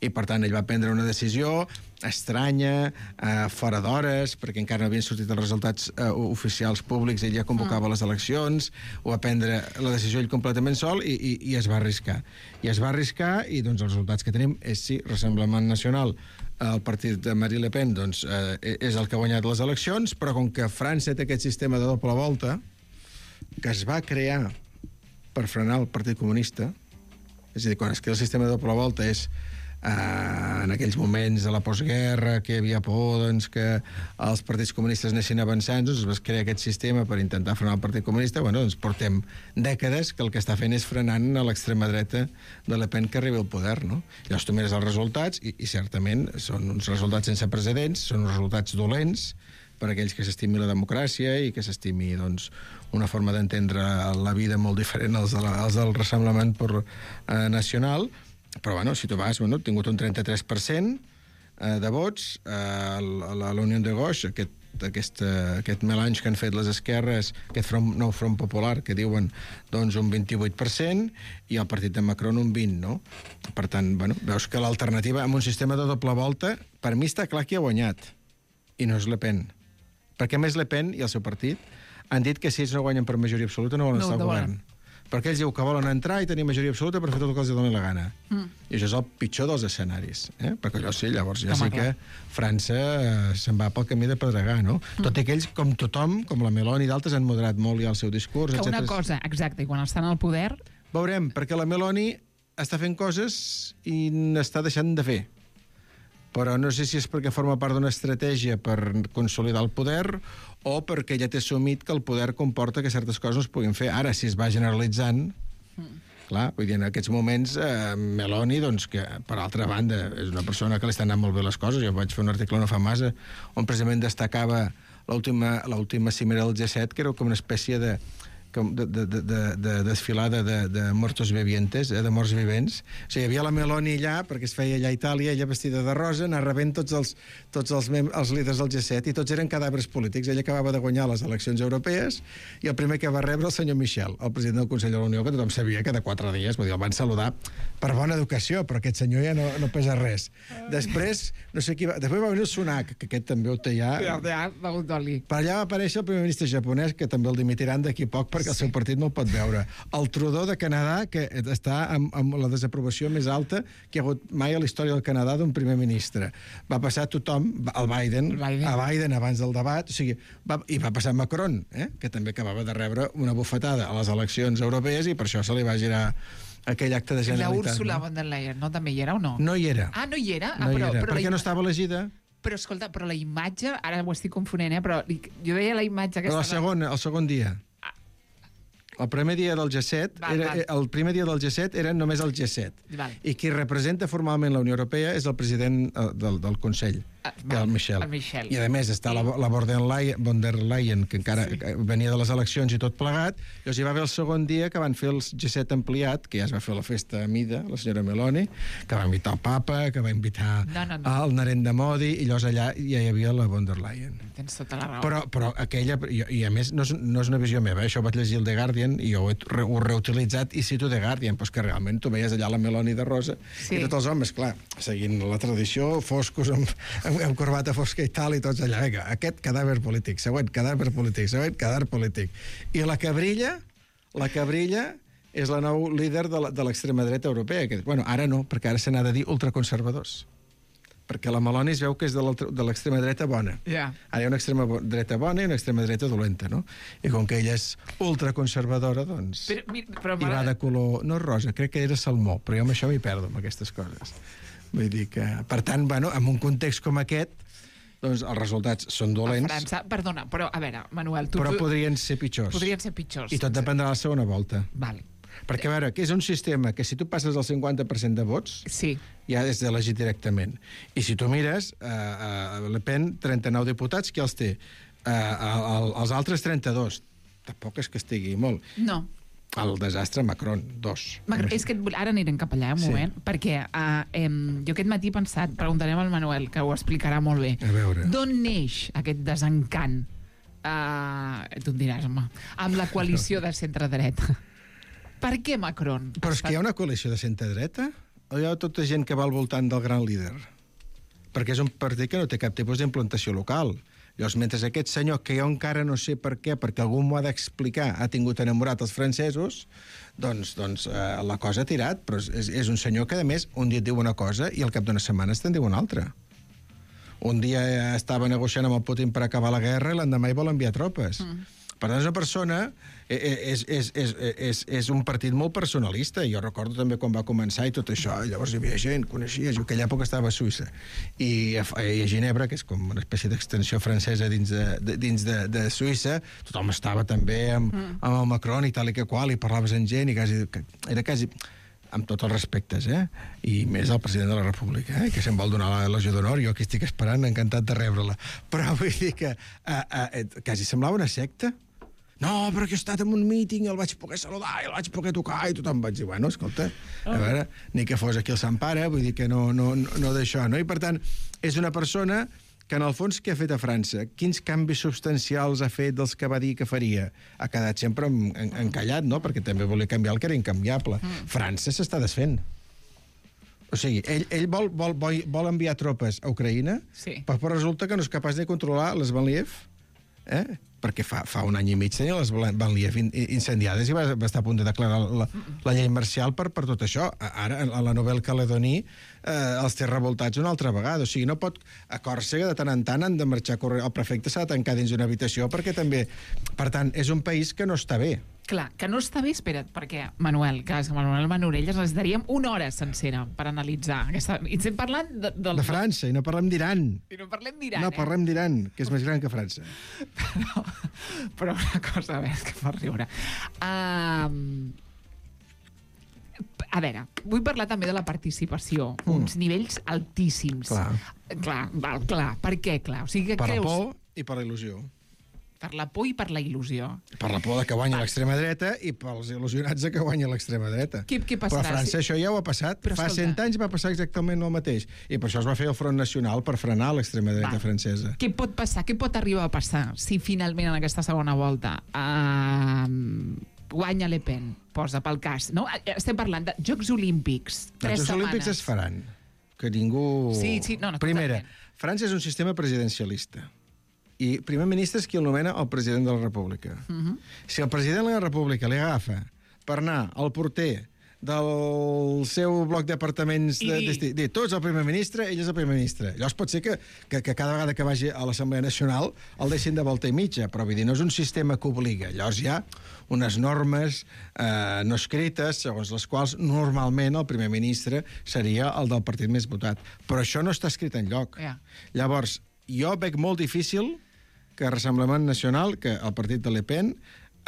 I per tant ell va prendre una decisió estranya, eh, fora d'hores, perquè encara no havien sortit els resultats eh, oficials públics, ell ja convocava les eleccions, ho va prendre la decisió ell completament sol i, i, i es va arriscar. I es va arriscar i doncs els resultats que tenim és sí, Rassemblement Nacional, el partit de Marine Le Pen doncs, eh, és el que ha guanyat les eleccions, però com que França té aquest sistema de doble volta que es va crear per frenar el Partit Comunista, és a dir, quan es crea el sistema de doble volta és eh, en aquells moments de la postguerra que hi havia por doncs, que els partits comunistes anessin avançant, doncs es va crear aquest sistema per intentar frenar el Partit Comunista. Bueno, doncs portem dècades que el que està fent és frenant a l'extrema dreta de Le Pen que arribi al poder, no? Llavors tu mires els resultats i, i certament són uns resultats sense precedents, són uns resultats dolents per a aquells que s'estimi la democràcia i que s'estimi doncs, una forma d'entendre la vida molt diferent als, de la, als del Rassemblement per, eh, Nacional. Però, bueno, si tu vas, bueno, ha tingut un trenta-tres per cent eh, de vots. Eh, la, la, la Unió de Gauche, aquest, aquest, eh, aquest melange que han fet les esquerres, aquest front, nou front popular, que diuen doncs, un vint-i-vuit per cent, i el partit de Macron un vint, no? Per tant, bueno, veus que l'alternativa amb un sistema de doble volta, per mi està clar qui ha guanyat, i no és Le Pen. Perquè, a més, Le Pen i el seu partit han dit que si ells no guanyen per majoria absoluta no volen No, estar al no govern. Perquè ells diuen que volen entrar i tenir majoria absoluta per fer tot el que els doni la gana. Mm. I això és el pitjor dels escenaris. Eh? Perquè allò sí, llavors ja Home, sí que clar. França eh, se'n va pel camí de pedregar, no? Mm. Tot i que ells, com tothom, com la Meloni i d'altres, han moderat molt ja el seu discurs, Que una etcètera. cosa, exacte, i quan estan al poder... Veurem, perquè la Meloni està fent coses i n'està deixant de fer. Però no sé si és perquè forma part d'una estratègia per consolidar el poder o perquè ja té assumit que el poder comporta que certes coses no es puguin fer. Ara, si es va generalitzant, mm. clar, vull dir, en aquests moments, eh, Meloni, doncs, que, per altra banda, és una persona que li estan anant molt bé les coses. Jo vaig fer un article no fa massa on precisament destacava l'última l'última cimera del G set, que era com una espècie de com de, de, de, de, de desfilada de, de mortos vivientes, eh, de morts vivents. O sigui, hi havia la Meloni allà, perquè es feia allà a Itàlia, ella vestida de rosa, anar rebent tots els, tots els, mem els líders del G set, i tots eren cadàvers polítics. Ella acabava de guanyar les eleccions europees, i el primer que va rebre el senyor Michel, el president del Consell de la Unió, que tothom sabia que de quatre dies, vull dir, el van saludar per bona educació, però aquest senyor ja no, no pesa res. Després, no sé qui va... Després va venir el Sunak, que aquest també ho té ja... Ja, ja, begut d'oli. Per allà va aparèixer el primer ministre japonès, que també el dimitiran d'aquí poc perquè el seu partit no el pot veure. El Trudeau de Canadà, que està amb, amb la desaprovació més alta que hi ha hagut mai a la història del Canadà d'un primer ministre. Va passar tothom, el Biden, El Biden. a Biden abans del debat, o sigui, va, i va passar Macron, eh, que també acabava de rebre una bufetada a les eleccions europees i per això se li va girar aquell acte de La Generalitat. Úrsula no? von der Leyen, no? També hi era o no? No hi era. Ah, no hi era? Ah, No hi però, era, però perquè la... no estava elegida. Però, escolta, però la imatge, ara ho estic confonent, eh? Però jo veia la imatge Però aquesta... el segon, el segon dia. El primer dia del G set, Val, era, val. el primer dia del G set era només el G set. Val. I qui representa formalment la Unió Europea és el president eh, del, del Consell, Ah, que és el Michel. el Michel. I a més està la, la von der Leyen, von der Leyen que encara sí. venia de les eleccions i tot plegat. Llavors hi va haver el segon dia que van fer el G set ampliat, que ja es va fer la festa a mida, la senyora Meloni, que va invitar el papa, que va invitar No, no, no. el Narendra Modi, i llavors allà ja hi havia la von der Leyen. Tens tota la raó. Però, però aquella... I, i a més, no és, no és una visió meva, eh? Això ho vaig llegir el The Guardian i jo ho he, re, ho he reutilitzat i cito The Guardian, però que realment tu veies allà la Meloni de rosa Sí. i tots els homes, clar, seguint la tradició, foscos, amb, amb, amb corbata fosca i tal, i tots allà, vinga, aquest cadàver polític, següent cadàver polític, següent cadàver polític. I la que brilla, la que brilla és la nou líder de la- de l'extrema dreta europea, que, bueno, ara no, perquè ara se n'ha de dir ultraconservadors. Perquè la Meloni es veu que és de l'altra- de l'extrema dreta bona. Ja. Ara hi ha una extrema bo- dreta bona i una extrema dreta dolenta, no? I com que ella és ultraconservadora, doncs... Però, mira, però I va de color... No rosa, crec que era salmó, però jo amb això m'hi perdo, amb aquestes coses. Vull dir que... Per tant, bueno, en un context com aquest, doncs els resultats són a dolents, França... Perdona, però, a veure, Manuel, tu... però podrien ser pitjors. podrien ser pitjors. I tot dependrà de la segona volta. Vale. Perquè, a veure, que és un sistema que si tu passes el cinquanta per cent de vots, Sí. ja és d'elegir directament. I si tu mires, eh, eh, Le Pen, trenta-nou diputats, qui els té? Eh, el, els altres, trenta-dos. Tampoc és que estigui molt. No. El desastre Macron, dos. Macron, és que et vull- ara anirem cap allà, un Sí. moment, perquè uh, em, jo aquest matí he pensat, preguntarem al Manuel, que ho explicarà molt bé. A veure. D'on neix aquest desencant? Uh, tu em diràs, home, amb la coalició de centre-dreta. Per què Macron? Però és que hi ha una coalició de centre-dreta? O hi ha tota gent que va al voltant del gran líder? Perquè és un partit que no té cap tipus d'implantació local. Llavors, mentre aquest senyor, que jo encara no sé per què, perquè algú m'ho ha d'explicar, ha tingut enamorat els francesos, doncs, doncs eh, la cosa ha tirat. Però és, és un senyor que, a més, un dia et diu una cosa i al cap d'una setmana te'n diu una altra. Un dia estava negociant amb el Putin per acabar la guerra i l'endemà hi vol enviar tropes. Mm. Per tant, és una persona... És, és, és, és, és un partit molt personalista. Jo recordo també quan va començar i tot això. Llavors hi havia gent, coneixia, jo aquella època estava a Suïssa. I a, i a Ginebra, que és com una espècie d'extensió francesa dins de, de, dins de, de Suïssa, tothom estava també amb, mm. amb el Macron i tal i que qual, i parlaves amb gent, i quasi, era quasi... amb tots els respectes, eh? I més el president de la República, eh? Que se'n vol donar la legió d'honor, jo aquí estic esperant, encantat de rebre-la. Però vull dir que eh, eh, quasi semblava una secta. No, però que he estat en un míting i el vaig poder saludar i el vaig poder tocar i tothom vaig dir, bueno, escolta, a veure, ni que fos aquí el Sant Pare, vull dir que no, no, no, no d'això, no? I per tant, és una persona que en el fons què ha fet a França? Quins canvis substancials ha fet dels que va dir que faria? Ha quedat sempre en, en, encallat, no? Perquè també volia canviar el que era incanviable. Mm. França s'està desfent. O sigui, ell, ell vol, vol, vol, vol enviar tropes a Ucraïna, Sí. però, però resulta que no és capaç de controlar les Banliev, eh? Perquè fa, fa un any i mig tenia les Banliev in, incendiades i va, va estar a punt de declarar la, la llei marcial per, per tot això. Ara, a la Nouvelle-Calédonie, eh, els té revoltats una altra vegada. O sigui, no pot... A Còrsega, de tant en tant, han de marxar a córrer. El prefecte s'ha de tancar dins d'una habitació perquè també... Per tant, és un país que no està bé. Clar, que no està bé, espera't, perquè, Manuel, que és que Manuel Manurelles ens daríem una hora sencera per analitzar aquesta... I estem parlant de, del... De França, i no parlem d'Iran. I no parlem d'Iran, No, eh? parlem d'Iran, que és més gran que França. Però, però una cosa, a veure, que fa riure. Um, a veure, vull parlar també de la participació. Mm. Uns nivells altíssims. Clar. Clar, val, clar. Per què, clar? O sigui, que Per la creus... por i per la il·lusió. Per la por i per la il·lusió. Per la por de que guanya l'extrema dreta i pels il·lusionats de que guanya l'extrema dreta. Què- què passarà Però a França si- això ja ho ha passat. Però Fa escolta- cent anys va passar exactament el mateix. I per això es va fer el Front Nacional per frenar l'extrema dreta Val. francesa. Què pot passar? Què pot arribar a passar si finalment en aquesta segona volta uh, guanya Le Pen, posa pel cas, no? Estem parlant de Jocs Olímpics, Els tres Jocs setmanes. Olímpics es faran. Que ningú... Sí, sí, no, no, Primera, totalment. França és un sistema presidencialista. I primer ministre és qui el nomena el president de la República. Uh Mhm. -huh. Si el president de la República li agafa per anar al porter del seu bloc d'apartaments de, I- de, de, tots el primer ministre, ell és el primer ministre. Llavors pot ser que, que, que cada vegada que vagi a l'Assemblea Nacional el deixin de volta i mitja, però vull dir, no és un sistema que obliga. Llavors hi ha unes normes eh, no escrites, segons les quals normalment el primer ministre seria el del partit més votat. Però això no està escrit enlloc. Ja. Llavors, jo veig molt difícil que Rassemblement Nacional, que el partit de Le Pen,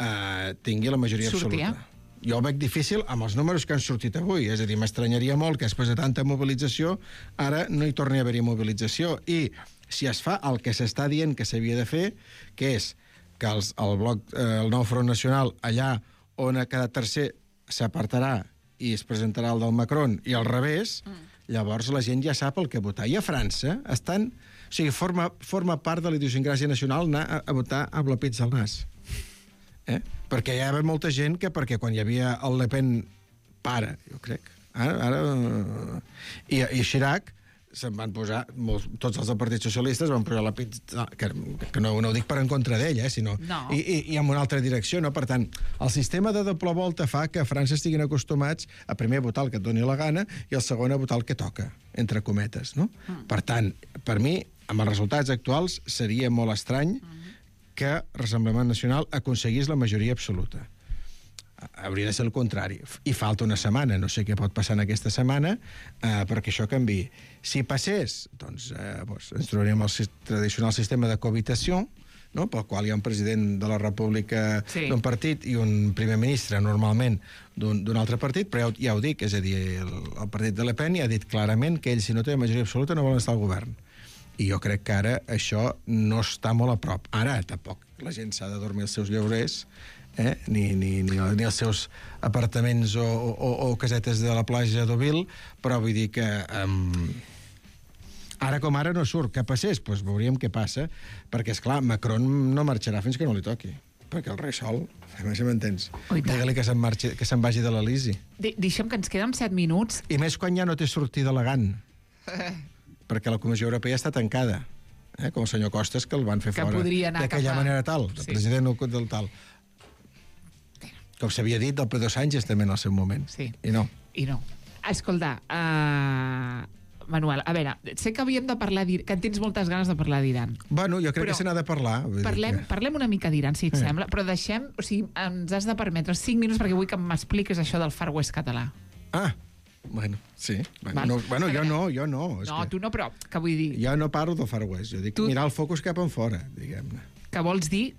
eh, tingui la majoria Surti, absoluta. eh? Jo ho veig difícil amb els números que han sortit avui. És a dir, m'estranyaria molt que després de tanta mobilització ara no hi torni a haver-hi mobilització. I si es fa el que s'està dient que s'havia de fer, que és que els, el bloc, eh, el nou Front Nacional, allà on a cada tercer s'apartarà i es presentarà el del Macron, i al revés, mm. llavors la gent ja sap el que votar. I a França estan... O sigui, forma, forma part de la idiosincràsia nacional anar a, a votar amb la pizza al nas. Eh? Perquè hi havia molta gent que, perquè quan hi havia el Le Pen pare, jo crec, ara... ara i, i Chirac se'n van posar, molts, tots els del Partit Socialistes van posar la pizza, que, que no, no ho dic per en contra d'ella, eh, sinó No. i, i, i en una altra direcció, no? Per tant, el sistema de doble volta fa que a França estiguin acostumats a primer votar el que et doni la gana i el segon a votar el que toca, entre cometes, no? Mm. Per tant, per mi, amb els resultats actuals, seria molt estrany mm. que Rassemblement Nacional aconseguís la majoria absoluta. Hauria de ser el contrari. I falta una setmana, no sé què pot passar en aquesta setmana, eh, perquè això canviï. Si passés, doncs, eh, doncs ens trobaríem el tradicional sistema de cohabitació, no? Pel qual hi ha un president de la República Sí. d'un partit i un primer ministre, normalment, d'un altre partit, però ja, ja ho dic, és a dir, el, el partit de Le Pen ja ha dit clarament que ell, si no té majoria absoluta, no volen estar al govern. I jo crec que ara això no està molt a prop. Ara, tampoc, la gent s'ha de dormir els seus lloguers, eh? ni, ni, ni, ni els seus apartaments o, o, o casetes de la platja d'Ovil, però vull dir que... Um, ara com ara no surt. Que passés? Doncs veuríem què passa, perquè, és clar, Macron no marxarà fins que no li toqui, perquè el rei sol, a més m'entens, Oh, i tant. digue-li que se'n marxi, que se'n vagi de l'Elisi. De deixem que ens queden set minuts. I més quan ja no té sortida elegant, perquè la Comissió Europea està tancada, eh? Com el senyor Costas, que el van fer Que fora podria anar d'aquella cap a- manera tal, el Sí. president del tal. Com s'havia dit del Pedro Sánchez també en el seu moment. Sí. I no. I no. Escolta, uh, Manuel, a veure, sé que havíem de parlar d'Iran, que tens moltes ganes de parlar d'Iran. Bueno, jo crec Però que se n'ha de parlar. Vull dir Parlem, que... parlem una mica d'Iran, si et Eh. sembla, però deixem... O sigui, ens has de permetre cinc minuts perquè vull que m'expliquis això del Far West català. Ah, bueno, sí. Bueno, Val. no, bueno A jo veure. no, jo no. És No, que... tu no, però que vull dir Jo no parlo del Far West, jo dic Tu- mirar el focus cap enfora, diguem-ne. que vols dir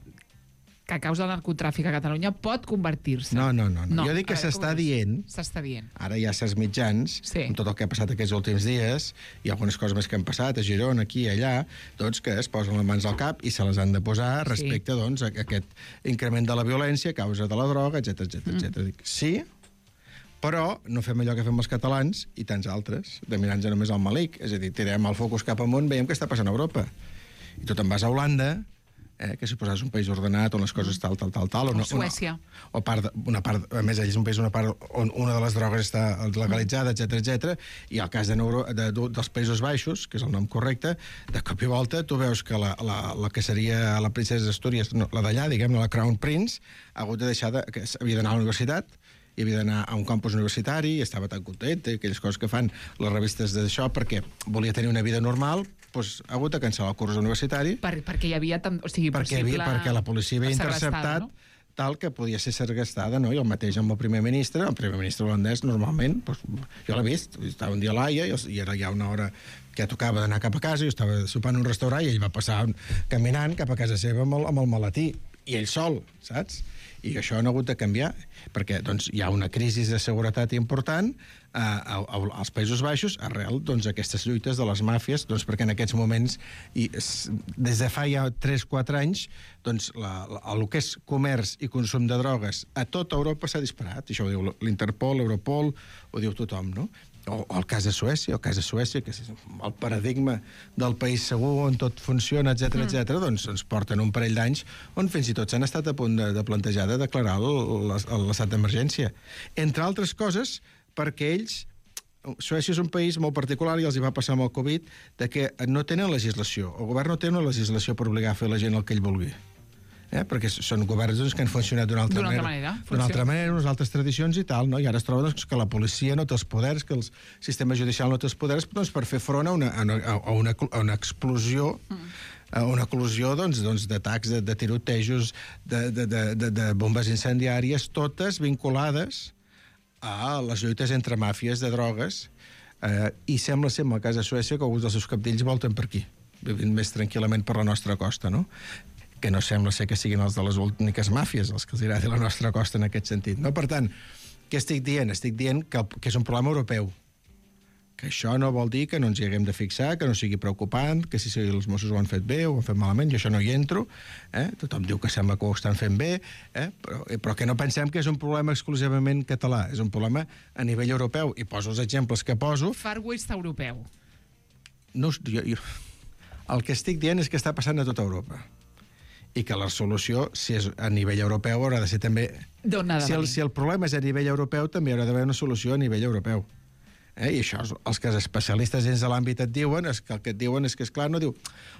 que a causa del narcotràfic a Catalunya pot convertir-se. No, no, no, no. Jo dic que a veure, s'està com ho dius? dient- S'està dient. Ara hi ha certs mitjans, Sí. amb tot el que ha passat aquests últims dies, i algunes coses més que han passat, a Girona, aquí i allà, doncs que es posen les mans al cap i se les han de posar respecte doncs, a aquest increment de la violència a causa de la droga, etcètera, etcètera, etcètera. Dic, sí, però no fem allò que fem els catalans i tants altres, de mirar-nos només al malic. És a dir, tirem el focus cap amunt, veiem què està passant a Europa. I tu te'n vas a Holanda, eh, que suposa és un país ordenat on les coses tal, tal, tal, tal. O no, Suècia. Una, o part, de, una part, a més, allà és un país una part on una de les drogues està legalitzada, etcètera, etcètera. I el cas de Neuro, de, de, dels Països Baixos, que és el nom correcte, de cop i volta tu veus que la, la, la que seria la princesa d'Astúries, no, la d'allà, diguem-ne, la Crown Prince, ha hagut de deixar de, que havia d'anar a la universitat, i havia d'anar a un campus universitari, i estava tan contenta, aquelles coses que fan les revistes d'això, perquè volia tenir una vida normal, doncs ha hagut de cancel·lar el curs universitari, Per, perquè hi havia... Tam, o sigui, perquè, possible... havia, perquè la policia havia segrestada, interceptat no? tal que podia ser segrestada, no? I el mateix amb el primer ministre, el primer ministre holandès, normalment, doncs, jo l'he vist, estava un dia a l'Aia, i, i era ja una hora que tocava d'anar cap a casa, jo estava sopant en un restaurant i ell va passar caminant cap a casa seva amb el, amb el maletí, i ell sol, saps? I això han hagut de canviar, perquè doncs, hi ha una crisi de seguretat important eh, a, a, als Països Baixos arrel doncs, aquestes lluites de les màfies, doncs, perquè en aquests moments, i, s- des de fa ja tres quatre anys, doncs, la, la, el que és comerç i consum de drogues a tota Europa s'ha disparat. I això ho diu l'Interpol, l'Europol, ho diu tothom, no? O, o el cas de Suècia, el cas de Suècia, que és el paradigma del país segur on tot funciona, etcètera, etcètera, doncs ens porten un parell d'anys on fins i tot s'han estat a punt de, de plantejar de declarar el- l'es- l'estat d'emergència. Entre altres coses, perquè ells... Suècia és un país molt particular i els hi va passar amb el Covid de que no tenen legislació. El govern no té una legislació per obligar a fer la gent el que ell vulgui. Eh? Perquè són governs doncs, que han funcionat d'una altra, D'una altra manera, manera, d'una altra funciona. manera, unes altres tradicions i tal, no? I ara es troba doncs, que la policia no té els poders, que el sistema judicial no té els poders doncs, per fer front a una, a una, a una, a una explosió mm. a una eclosió doncs, doncs, d'atacs, de, de tirotejos, de, de, de, de, de bombes incendiàries, totes vinculades a les lluites entre màfies de drogues, eh, i sembla ser, en el cas de Suècia, que alguns dels seus capdells volten per aquí, vivint més tranquil·lament per la nostra costa, no? Que no sembla ser que siguin els de les úniques màfies, els que els agradi la nostra costa en aquest sentit. No? Per tant, què estic dient? Estic dient que, que és un problema europeu, que això no vol dir que no ens hi haguem de fixar, que no sigui preocupant, que si els Mossos ho han fet bé o ho han fet malament, jo això no hi entro, eh? Tothom diu que sembla que ho estan fent bé, eh? però, però que no pensem que és un problema exclusivament català, és un problema a nivell europeu, i poso els exemples que poso. Far West europeu. No, jo, jo, el que estic dient és que està passant a tota Europa, i que la solució, si és a nivell europeu, haurà de ser també... D'on ha de si el, venir? si el problema és a nivell europeu, també haurà d'haver una solució a nivell europeu. Eh? I això, els que els especialistes dins de l'àmbit et diuen, és que el que et diuen és que, esclar, no diu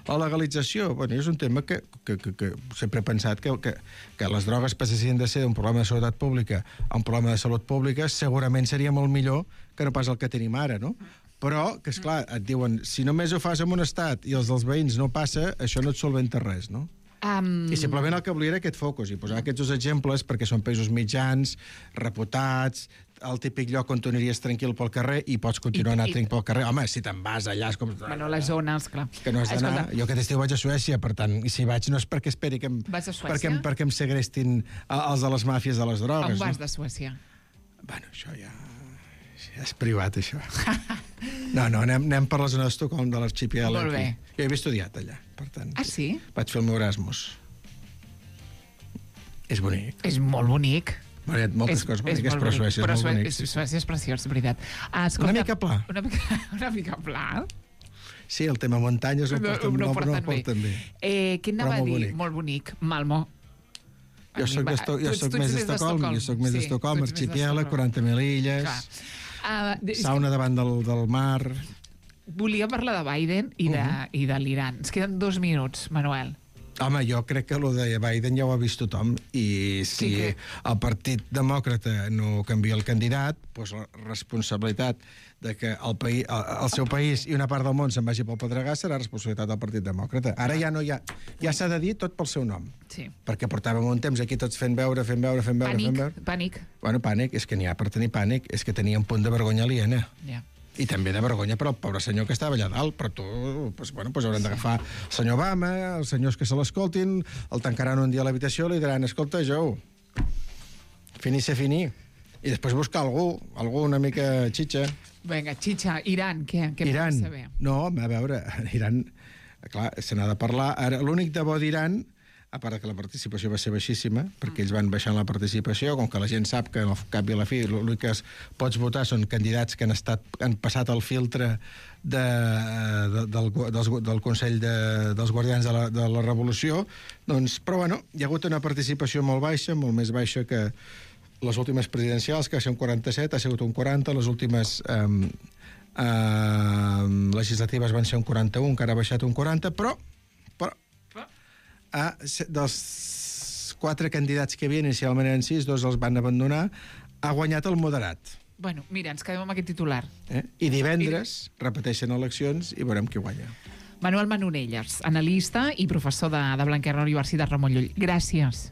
la legalització. Bueno, és un tema que, que, que, que sempre he pensat que, que, que les drogues passessin de ser d'un problema de seguretat pública a un problema de salut pública, segurament seria molt millor que no pas el que tenim ara, no? Però, que esclar, et diuen, si només ho fas en un estat i els dels veïns no passa, això no et solventa res, no? Um... I simplement el que volia era aquest focus, i posar aquests dos exemples perquè són països mitjans, reputats, el típic lloc on tu aniries tranquil pel carrer i pots continuar I- anar i- tranquil pel carrer. Home, si te'n vas allà... És com... Bueno, les zones, clar. Que no has d'anar... Escolta, Jo aquest estiu vaig a Suècia, per tant, i si vaig no és perquè esperi que em... Vas a Suècia? Perquè, em- perquè em segrestin a- els de les màfies de les drogues. on vas no? de Suècia? Bueno, això ja... ja és privat, això. No, no, anem, anem per la zona d'Estocolm, de l'arxipièlag. Molt bé. aquí. Jo he estudiat allà, per tant. Ah, sí? Vaig fer el meu Erasmus. És bonic. És molt bonic. Bueno, hi ha moltes coses boniques, molt però bonic. Suècia Però és molt Suè- bonic. sí, sí. Suècia és preciós, és veritat. Ah, escolta, Una mica pla. Una mica, una mica pla. Sí, el tema muntanyes no, no, porten, no, no, no porten bé. Eh, què anava Però a molt dir? bonic. Molt bonic. Malmö. Jo soc, d'Esto jo soc més d'Estocolm, jo soc més d'Estocolm, arxipièlag, quaranta mil illes, Uh, sauna davant del, del mar... volia parlar de Biden i de, uh -huh. i de l'Iran. Ens queden dos minuts, Manuel. Home, jo crec que el de Biden ja ho ha vist tothom, i si Sí que- el Partit Demòcrata no canvia el candidat, doncs la responsabilitat de que el, país, el, el seu país i una part del món se'n vagi pel pedregà serà responsabilitat del Partit Demòcrata. Ara ja no hi ha... Ja s'ha de dir tot pel seu nom. Sí. Perquè portàvem un temps aquí tots fent veure, fent veure, fent veure, Pànic, fent veure... pànic. Bueno, pànic, és que n'hi ha per tenir pànic, és que tenia un punt de vergonya aliena. Ja. I també de vergonya per al pobre senyor que estava allà dalt, però tu, pues, bueno, pues hauran d'agafar el senyor Obama, els senyors que se l'escoltin, el tancaran un dia a l'habitació i li diran, escolta, Joe, fini se fini. I després buscar algú, algú una mica xitxa. Vinga, Chicha, Iran, què? Què Iran. vols saber? No, a veure, Iran, clar, se n'ha de parlar. Ara, l'únic de bo d'Iran, a part que la participació va ser baixíssima, perquè ells van baixant la participació, com que la gent sap que al cap i a la fi l'únic que es pots votar són candidats que han, estat, han passat el filtre de, de, del, dels, del Consell de, dels Guardians de la, de la Revolució, doncs, però bueno, hi ha hagut una participació molt baixa, molt més baixa que les últimes presidencials, que va ser un quaranta-set, ha sigut un quaranta, les últimes eh, eh, legislatives van ser un quaranta-un, encara ha baixat un quaranta, però, però a, dels quatre candidats que hi havia, inicialment eren sis, dos els van abandonar, ha guanyat el moderat. Bueno, mira, ens quedem amb aquest titular. Eh? I divendres repeteixen eleccions i veurem qui guanya. Manuel Manonelles, analista i professor de, de Blanquerna Universitat Ramon Llull. Gràcies.